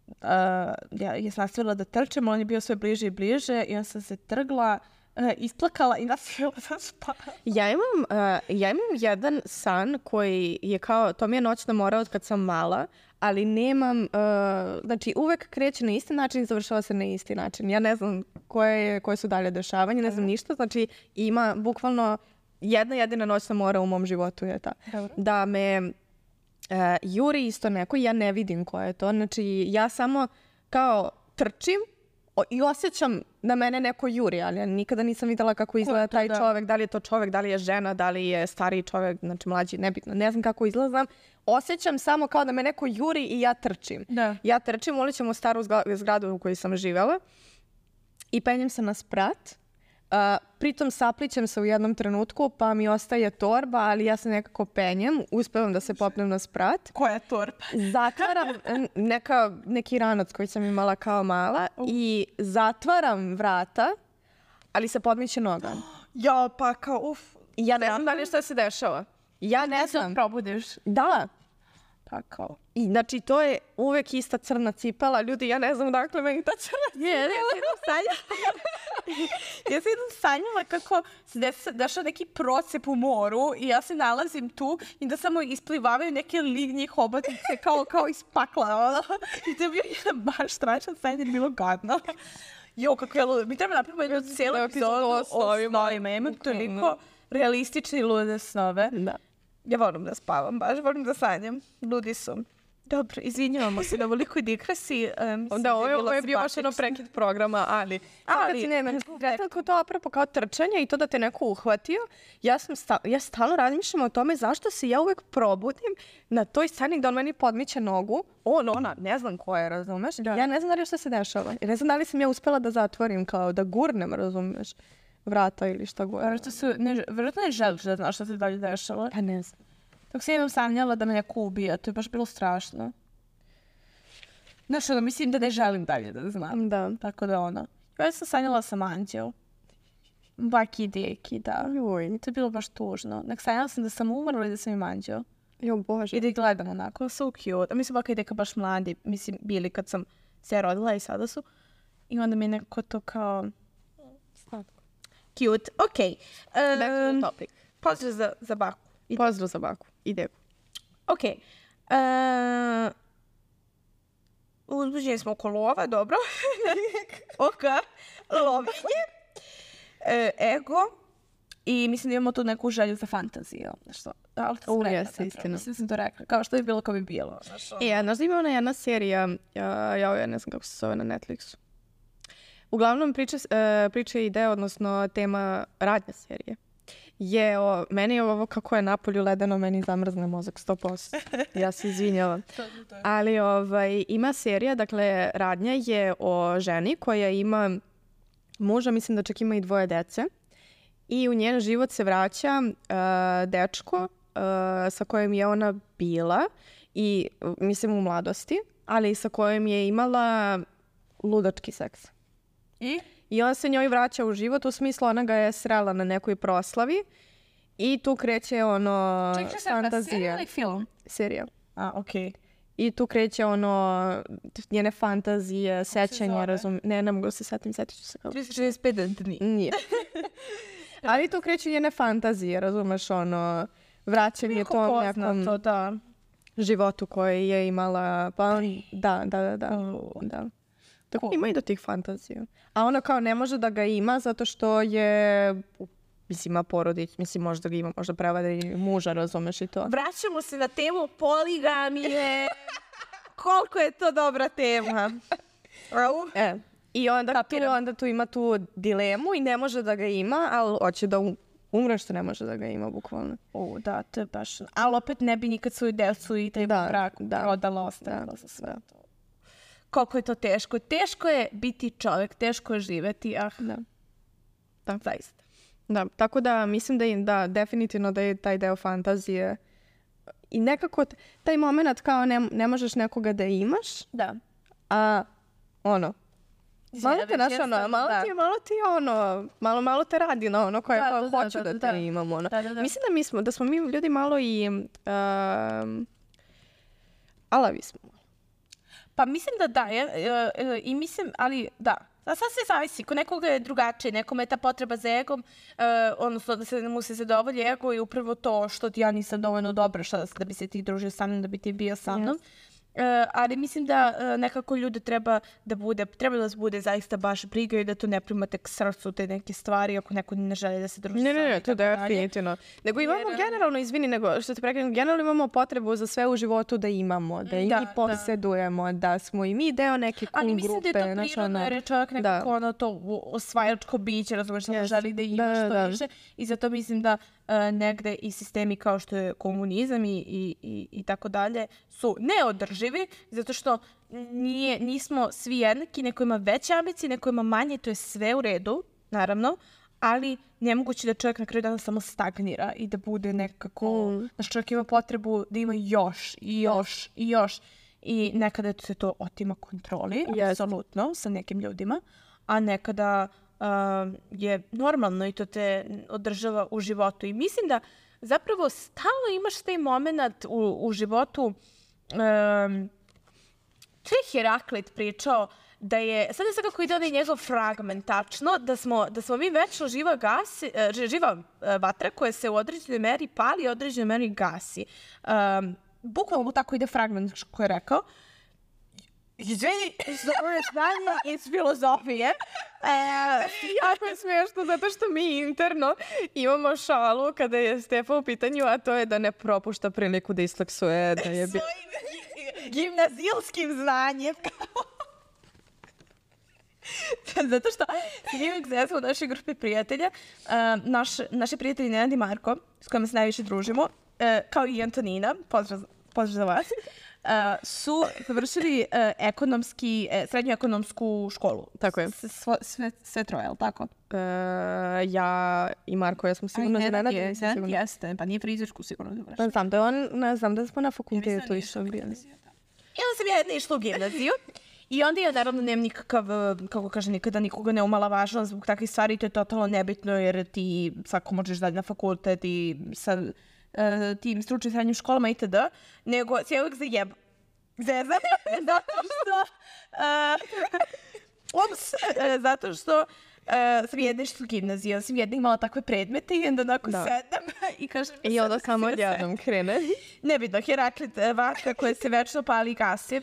uh, ja, ja sam nastavila da trčem, on je bio sve bliže i bliže i on sam se trgla, uh, isplakala i nastavila da spavam. Ja imam, uh, ja imam jedan san koji je kao, to mi je noćna mora od kad sam mala, ali nemam, uh, znači uvek kreće na isti način i završava se na isti način. Ja ne znam koje, koje su dalje dešavanje, ne znam ništa, znači ima bukvalno jedna jedina noćna mora u mom životu je ta. Dobro. Da me uh, juri isto neko i ja ne vidim ko je to. Znači ja samo kao trčim o, i osjećam da mene neko juri, ali ja nikada nisam videla kako izgleda taj da. čovek, da li je to čovek, da li je žena, da li je stariji čovek, znači mlađi, nebitno, ne znam kako izgleda. Osjećam samo kao da me neko juri i ja trčim. Da. Ja trčim, ulićem u staru zgradu u kojoj sam živjela i penjem se na sprat. Uh, pritom saplićem se u jednom trenutku, pa mi ostaje torba, ali ja se nekako penjem, uspevam da se popnem na sprat. Koja torba? Zatvaram neka, neki ranac koji sam imala kao mala uh. i zatvaram vrata, ali se podmiće noga. Ja, pa kao, uf. I ja ne znam da li šta se dešava. Ja ne znam. Probudiš. Da. Pa kao. I znači to je uvek ista crna cipela. Ljudi, ja ne znam dakle meni ta crna cipela. Je, ja sam jednom sanjala. ja sam jednom sanjala kako se des, dešao neki procep u moru i ja se nalazim tu i da samo isplivavaju neke lignje hobotnice kao, kao iz pakla. I to je bio jedan baš strašan sanj, jer je bilo gadno. Jo, kako je ludo. Mi treba napravimo jednu cijelu epizodu o snovima. Ja imam toliko realistične i lude snove. Da. Ja volim da spavam, baš volim da sanjam. Ludi su. Dobro, izvinjavamo se na velikoj digresi. Um, da, ovo je, ovo je bio baš ono prekid programa, ali... Ali, kad si nema, tako to apropo kao trčanje i to da te neko uhvatio, ja, sam sta, ja stalno razmišljam o tome zašto se ja uvek probudim na toj sceni gde on meni podmiće nogu. On, ona, ne znam ko je, razumeš? Da. Ja ne znam da li što se dešava. Ne znam da li sam ja uspela da zatvorim, kao da gurnem, razumeš? Vrata ili šta god. Vjerojatno su, ne, vjerojatno ne želiš da znaš šta se dalje dešava. Pa ne znam. Dok se jednom sanjala da me neko ubija, to je baš bilo strašno. Znaš, ono, mislim da ne želim dalje da znam. Da. Tako da ono. Ja sam sanjala sam anđeo. Baki deki, da. Joj. To je bilo baš tužno. Nek sanjala sam da sam umrla i da sam im anđeo. Jo, Bože. I da ih gledam onako, so cute. A mislim, baka i deka baš mladi, mislim, bili kad sam se rodila i sada su. I onda mi je neko to kao... Slatko. Cute, okej. Okay. Back to the topic. Pozdrav za, za baku. Ide. Pozdrav za baku. Ide. Okej. Okay. Uh, uzbuđeni smo oko lova, dobro. Oka. Lovinje. E, ego. I mislim da imamo tu neku želju za fantaziju. Nešto. Ali to sam rekla. Jeste, istina. Mislim da sam to rekla. Kao što je bilo, kao bi bilo. Znaš, ono. E, znaš da ima ona jedna serija, ja, ja, ja ne znam kako se zove na Netflixu. Uglavnom priča, uh, priča je ideja, odnosno tema radnja serije. Je, o, meni je ovo kako je napolju ledeno, meni zamrzne mozak sto posto. Ja se izvinjavam. Ali ovaj, ima serija, dakle, radnja je o ženi koja ima muža, mislim da čak ima i dvoje dece. I u njen život se vraća uh, dečko uh, sa kojim je ona bila, i mislim u mladosti, ali sa kojim je imala ludački seks. I? I on se njoj vraća u život, u smislu ona ga je srela na nekoj proslavi i tu kreće ono Čekaj, fantazija. Serija ili film? Serija. A, okej. Okay. I tu kreće ono njene fantazije, sećanja, razum... Ne, ne mogu se setim, setit ću se kao... tristo šezdeset pet dni. Nije. Ali tu kreće njene fantazije, razumeš, ono, vraćanje tom nekom to, da. životu koji je imala, pa on, da, da, da, da. Oh. da. Tako cool. Ima i do tih fantazija. A ona kao ne može da ga ima zato što je mislim, ima porodić, mislim, možda ga ima, možda prevada i muža, razumeš i to. Vraćamo se na temu poligamije. Koliko je to dobra tema. E, I onda tu, onda tu ima tu dilemu i ne može da ga ima, ali hoće da um, umre što ne može da ga ima, bukvalno. O, da, to je baš... Ali opet ne bi nikad svoju decu i taj da, brak da, prodala, ostavila da, za sve to. Koliko je to teško. Teško je biti čovjek, teško je živeti, ah, da. Da. Zaista. Da, tako da mislim da, je, da definitivno da je taj deo fantazije i nekako t- taj moment kao ne, ne možeš nekoga da imaš, da. A ono, malo te, naš, ono, malo, ti, malo ti ono, malo, malo te radi na ono koje da, da, hoću da, da, da te da. imam. Ono. Da, da, da. Mislim da, mi smo, da smo mi ljudi malo i um, alavi smo. Pa mislim da da, je, uh, i mislim, ali da, da sad se zavisi, ko nekoga je drugačije, nekome je ta potreba za egom, uh, odnosno da se mu se zadovolji ego i upravo to što ti ja nisam dovoljno dobra šta, da bi se ti družio sa mnom, da bi ti bio sa mnom. Yes. Uh, ali mislim da uh, nekako ljude treba da bude, treba da vas bude zaista baš briga i da to ne primate k srcu te neke stvari ako neko ne želi da se druži. Ne, ne, ne, to je definitivno. Nego imamo Jer, generalno, izvini, nego što te prekrenem, generalno imamo potrebu za sve u životu da imamo, da i da, mi posjedujemo, da. da smo i mi deo neke cool grupe. Ali mislim da je to prirodno, jer je čovjek nekako ono to osvajačko biće, razumiješ, yes. želi da ima da, što da. više i zato mislim da Uh, negde i sistemi kao što je komunizam i, i, i, i tako dalje su neodrživi zato što nije, nismo svi jednaki, neko ima veće ambicije, neko ima manje, to je sve u redu, naravno, ali nemoguće da čovjek na kraju dana samo stagnira i da bude nekako, mm. znaš, čovjek ima potrebu da ima još i još i još i nekada se to otima kontroli, yes. apsolutno, sa nekim ljudima, a nekada Uh, je normalno i to te održava u životu. I mislim da zapravo stalno imaš taj moment u, u životu. Um, to je Heraklit pričao da je, sad ne znam kako ide onaj njegov fragment tačno, da smo, da smo mi večno živa, gasi, uh, živa uh, vatra koja se u određenoj meri pali i u određenoj meri gasi. Um, bukvalno tako ide fragment koji je rekao. Izvini, za ove znanje iz filozofije. E, jako je smiješno zato što mi interno imamo šalu kada je Stefa u pitanju, a to je da ne propušta priliku da isleksuje. Da je bi... Svojim gimnazijskim znanjem. Zato što mi uvijek zezamo u našoj grupi prijatelja. Uh, naš, naši prijatelji Nenad i Marko, s kojima se najviše družimo, uh, kao i Antonina, pozdrav, pozdrav za vas. Uh, su završili uh, ekonomski, uh, srednju ekonomsku školu. Tako je. S, sve, sve, sve troje, je li tako? Uh, ja i Marko, ja smo sigurno za Nenad. Jeste, pa nije frizersku sigurno završili. Pa znam da on, ne znam da smo na fakultetu ja išli. I onda sam ja jedna išla u gimnaziju. I onda ja naravno nemam nikakav, kako kaže, nikada nikoga ne umala važno zbog takvih stvari. To je totalno nebitno jer ti svako možeš dalje na fakultet i sa Uh, tim stručnim srednjim školama itd. Nego se uvijek zajeb... Zezam. zato što... Uh, ups, uh, zato što uh, sam jedna išla u gimnaziju, sam jedna imala takve predmete i onda onako da. sedam i kažem... I onda samo odjednom krene. Nebitno, Heraklit, vatra koja se večno pali i gasi.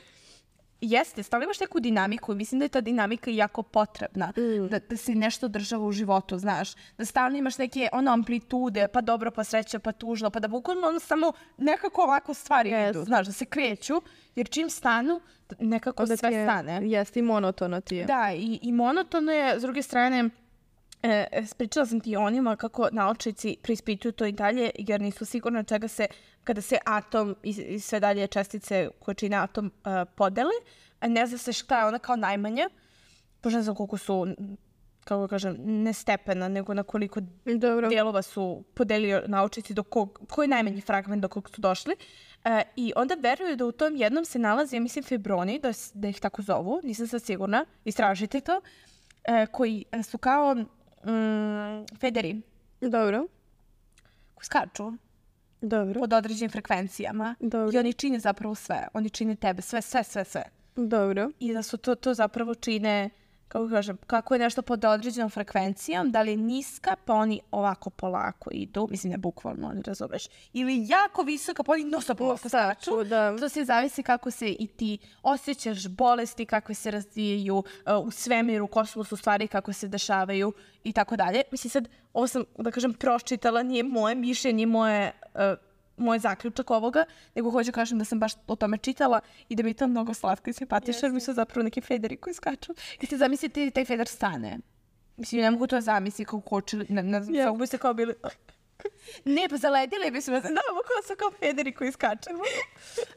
Jeste, stalno imaš neku dinamiku i mislim da je ta dinamika jako potrebna, mm. da, da se nešto održava u životu, znaš, da stalno imaš neke ono amplitude, pa dobro, pa sreća, pa tužno, pa da bukvalno ono samo nekako ovako stvari yes. idu, znaš, da se kreću, jer čim stanu, nekako da sve je, stane. Jeste, i monotono ti je. Da, i, i monotono je, s druge strane, E, pričala sam ti o onima kako naučnici preispituju to i dalje jer nisu sigurni čega se, kada se atom i, i sve dalje čestice koje čine atom uh, podele, a ne zna se šta je ona kao najmanja, pošto ne znam koliko su, kako kažem, ne stepena, nego na koliko Dobro. dijelova su podelili naučnici, do kog, koji je najmanji fragment do kog su došli. Uh, I onda veruju da u tom jednom se nalazi, ja mislim, fibroni, da, da ih tako zovu, nisam sad sigurna, istražite to, uh, koji su kao Mm, federi. Dobro. Koji skaču. Dobro. Pod određenim frekvencijama. Dobro. I oni čine zapravo sve. Oni čine tebe. Sve, sve, sve, sve. Dobro. I da su to, to zapravo čine kako kažem, kako je nešto pod određenom frekvencijom, da li je niska, pa oni ovako polako idu, mislim ne bukvalno, ne razumeš, ili jako visoka, pa oni nosa polako skaču. Da. To se zavisi kako se i ti osjećaš bolesti, kako se razvijaju uh, u svemiru, u kosmosu stvari, kako se dešavaju i tako dalje. Mislim sad, ovo sam, da kažem, pročitala, nije moje mišljenje, moje... Uh, moj zaključak ovoga, nego hoću kažem da sam baš o tome čitala i da mi je to mnogo slatko i simpatično, jer mi su zapravo neki federi koji skaču. I ste zamislite taj feder stane. Mislim, ne mogu to zamisliti kako kočili, ne, ne znam, yeah. bi se kao bili... Ne, pa zaledili bi se, da, kao su kao federi koji skačemo.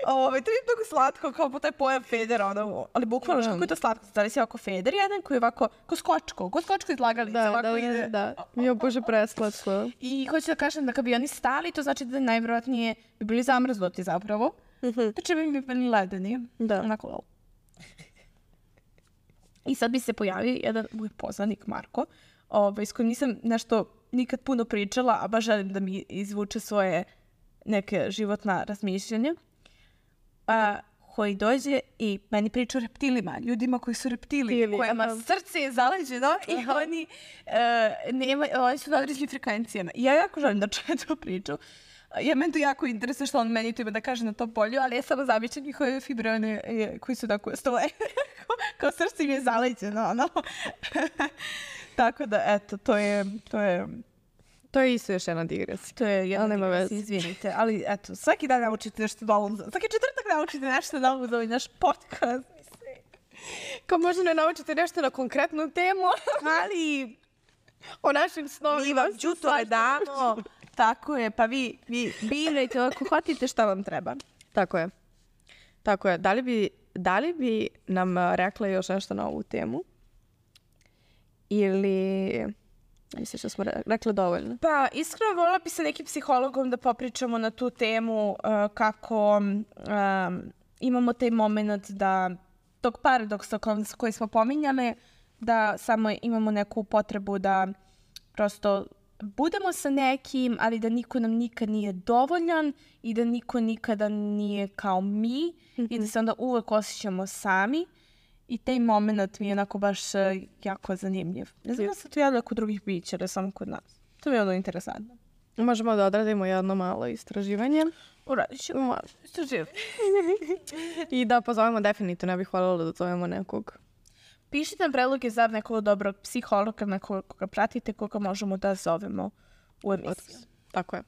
Ove, to je mnogo slatko, kao po taj pojam federa, ono, ali bukvalno, yeah. kako je to slatko, da li si ovako feder jedan koji je ovako, ko skočko, ko skočko izlagali. Da, ovako da, ide. da, da. Jo, bože, preslatko. I hoću da kažem da kad bi oni stali, to znači da najvjerojatnije bi bili zamrznuti zapravo. Mm-hmm. Znači bi mi bili ledeni. Da. Onako, wow. I sad bi se pojavio jedan moj poznanik, Marko, ovaj, s kojim nisam nešto nikad puno pričala, a baš želim da mi izvuče svoje neke životna razmišljanja. A, koji dođe i meni priča o reptilima, ljudima koji su reptili, Reptili, kojima aha. srce je zaleđeno i aha. oni, uh, nema, oni su na određenim frekvencijama. I ja jako želim da čujem tu priču. Ja, meni to jako interesuje što on meni to ima da kaže na tom polju, ali ja samo zamišljam njihove fibrone koji su tako stoje. Kao srce im je zaleđeno, ono. Tako da, eto, to je... To je To je isto još jedna digresija. To je jedna digresija, izvinite. Ali eto, svaki dan naučite nešto novo. Svaki četvrtak naučite nešto novo za ovaj naš podcast. Kao možda ne naučite nešto na konkretnu temu, ali o našim snovima. Mi vam džutove damo. Tako je, pa vi, vi birajte ako hvatite šta vam treba. Tako je. Tako je. Da li bi, da li bi nam rekla još nešto na ovu temu? Ili... Misliš da smo rekli dovoljno? Pa, iskreno volila bi sa nekim psihologom da popričamo na tu temu uh, kako um, imamo taj moment da tog paradoksa koji smo pominjali, da samo imamo neku potrebu da prosto budemo sa nekim, ali da niko nam nikad nije dovoljan i da niko nikada nije kao mi mm-hmm. i da se onda uvek osjećamo sami. I taj moment mi je onako baš uh, jako zanimljiv. Ne znam da se to javlja kod drugih bića, da samo kod nas. To mi je ono interesantno. Možemo da odradimo jedno malo istraživanje. Uradit ćemo istraživanje. I da pozovemo definitivno, ja bih voljela da zovemo nekog. Pišite nam predloge za nekog dobrog psihologa na koga pratite, koga možemo da zovemo u emisiju. Tako je.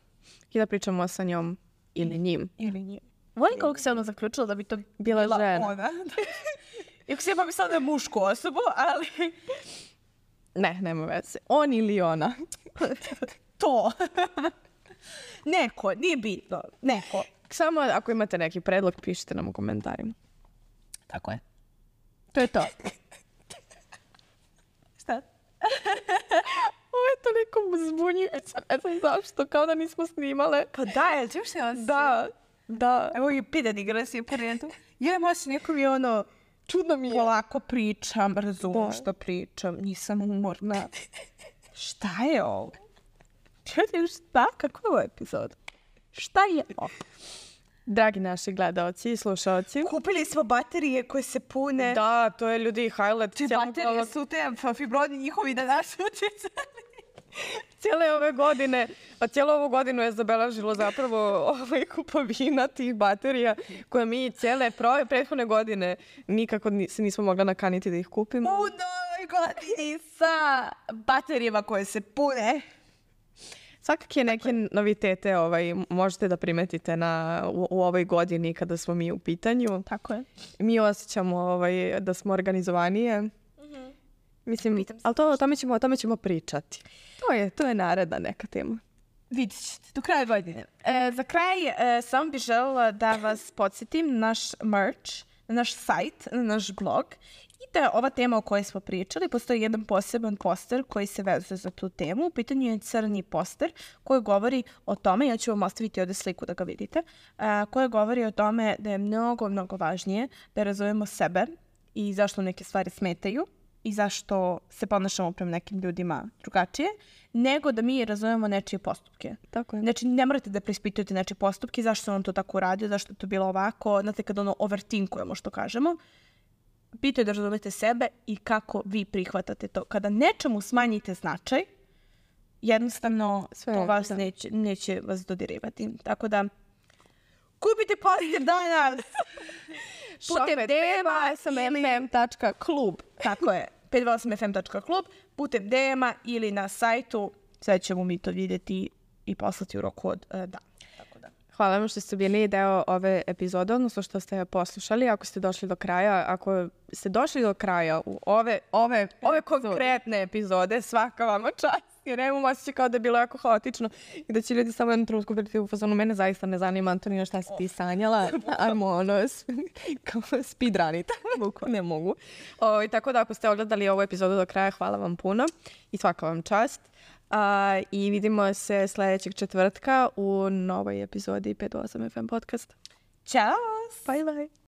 I da pričamo sa njom ili njim. Ili njim. Volim kako se ono zaključilo da bi to bila, bila žena. Ona. Iako se ja pa da je mušku osobu, ali... Ne, nema veze. On ili ona. To. Neko, nije bitno. Neko. Samo ako imate neki predlog, pišite nam u komentarima. Tako je. To je to. Šta? Ovo je toliko zbunjujuće. Ne znam zašto, kao da nismo snimale. Pa da, jel ćeš se on Da, da. Evo je pitan igra si u parentu. Ja možda neko mi ono... Čudno mi je. Polako pričam, razumem što pričam, nisam umorna. Šta je ovo? Šta? Kako je ovo epizod? Šta je ovo? Dragi naši gledalci i slušalci. Kupili smo baterije koje se pune. Da, to je ljudi highlight. Te baterije su te fibroni njihovi da nas utjecali. Cijele ove godine, a cijelu ovu godinu je zabeležilo zapravo ovaj kupovina tih baterija koje mi cijele pro, prethodne godine nikako se nismo mogla nakaniti da ih kupimo. U novoj godini sa baterijama koje se pune. Svakak je neke novitete ovaj, možete da primetite na, u, u ovoj godini kada smo mi u pitanju. Tako je. Mi osjećamo ovaj, da smo organizovanije. Mm-hmm. Mislim, ali to, o, tome ćemo, o tome ćemo pričati. To je, to je naredna neka tema. Vidjet ćete, do kraja godine. E, za kraj, e, samo bih željela da vas podsjetim na naš merch, na naš sajt, na naš blog. I da ova tema o kojoj smo pričali, postoji jedan poseban poster koji se vezuje za tu temu. U pitanju je crni poster koji govori o tome, ja ću vam ostaviti ovdje sliku da ga vidite, a, koji govori o tome da je mnogo, mnogo važnije da razumemo sebe i zašto neke stvari smetaju i zašto se ponašamo prema nekim ljudima drugačije, nego da mi razumemo nečije postupke. Tako je. Znači, ne morate da preispitujete nečije postupke, zašto on to tako uradio, zašto je to bilo ovako, znate, kad ono overtinkujemo što kažemo, bitno je da razumete sebe i kako vi prihvatate to. Kada nečemu smanjite značaj, jednostavno Sve, to vas da. neće, neće vas dodirivati. Tako da, kupite pozitiv danas! Putem D M-a s m m tačka klub. Tako je, pet dva osam f m tačka klub, putem D M-a ili na sajtu, sve ćemo mi to vidjeti i poslati u roku od uh, dana. Tako da. Hvala vam što ste bili deo ove epizode, odnosno što ste je poslušali. Ako ste došli do kraja, ako ste došli do kraja u ove, ove, ove konkretne epizode, svaka vama čast. Jer nemam osjećaj kao da je bilo jako haotično i da će ljudi samo jednu trenutku biti u fazonu. Mene zaista ne zanima, Antonija, šta si ti sanjala. Ajmo ono, kao speedrunite. Ne mogu. O, i tako da ako ste ogledali ovu epizodu do kraja, hvala vam puno i svaka vam čast. A, I vidimo se sljedećeg četvrtka u novoj epizodi pet dva osam F M podcasta. Ćao! Bye bye!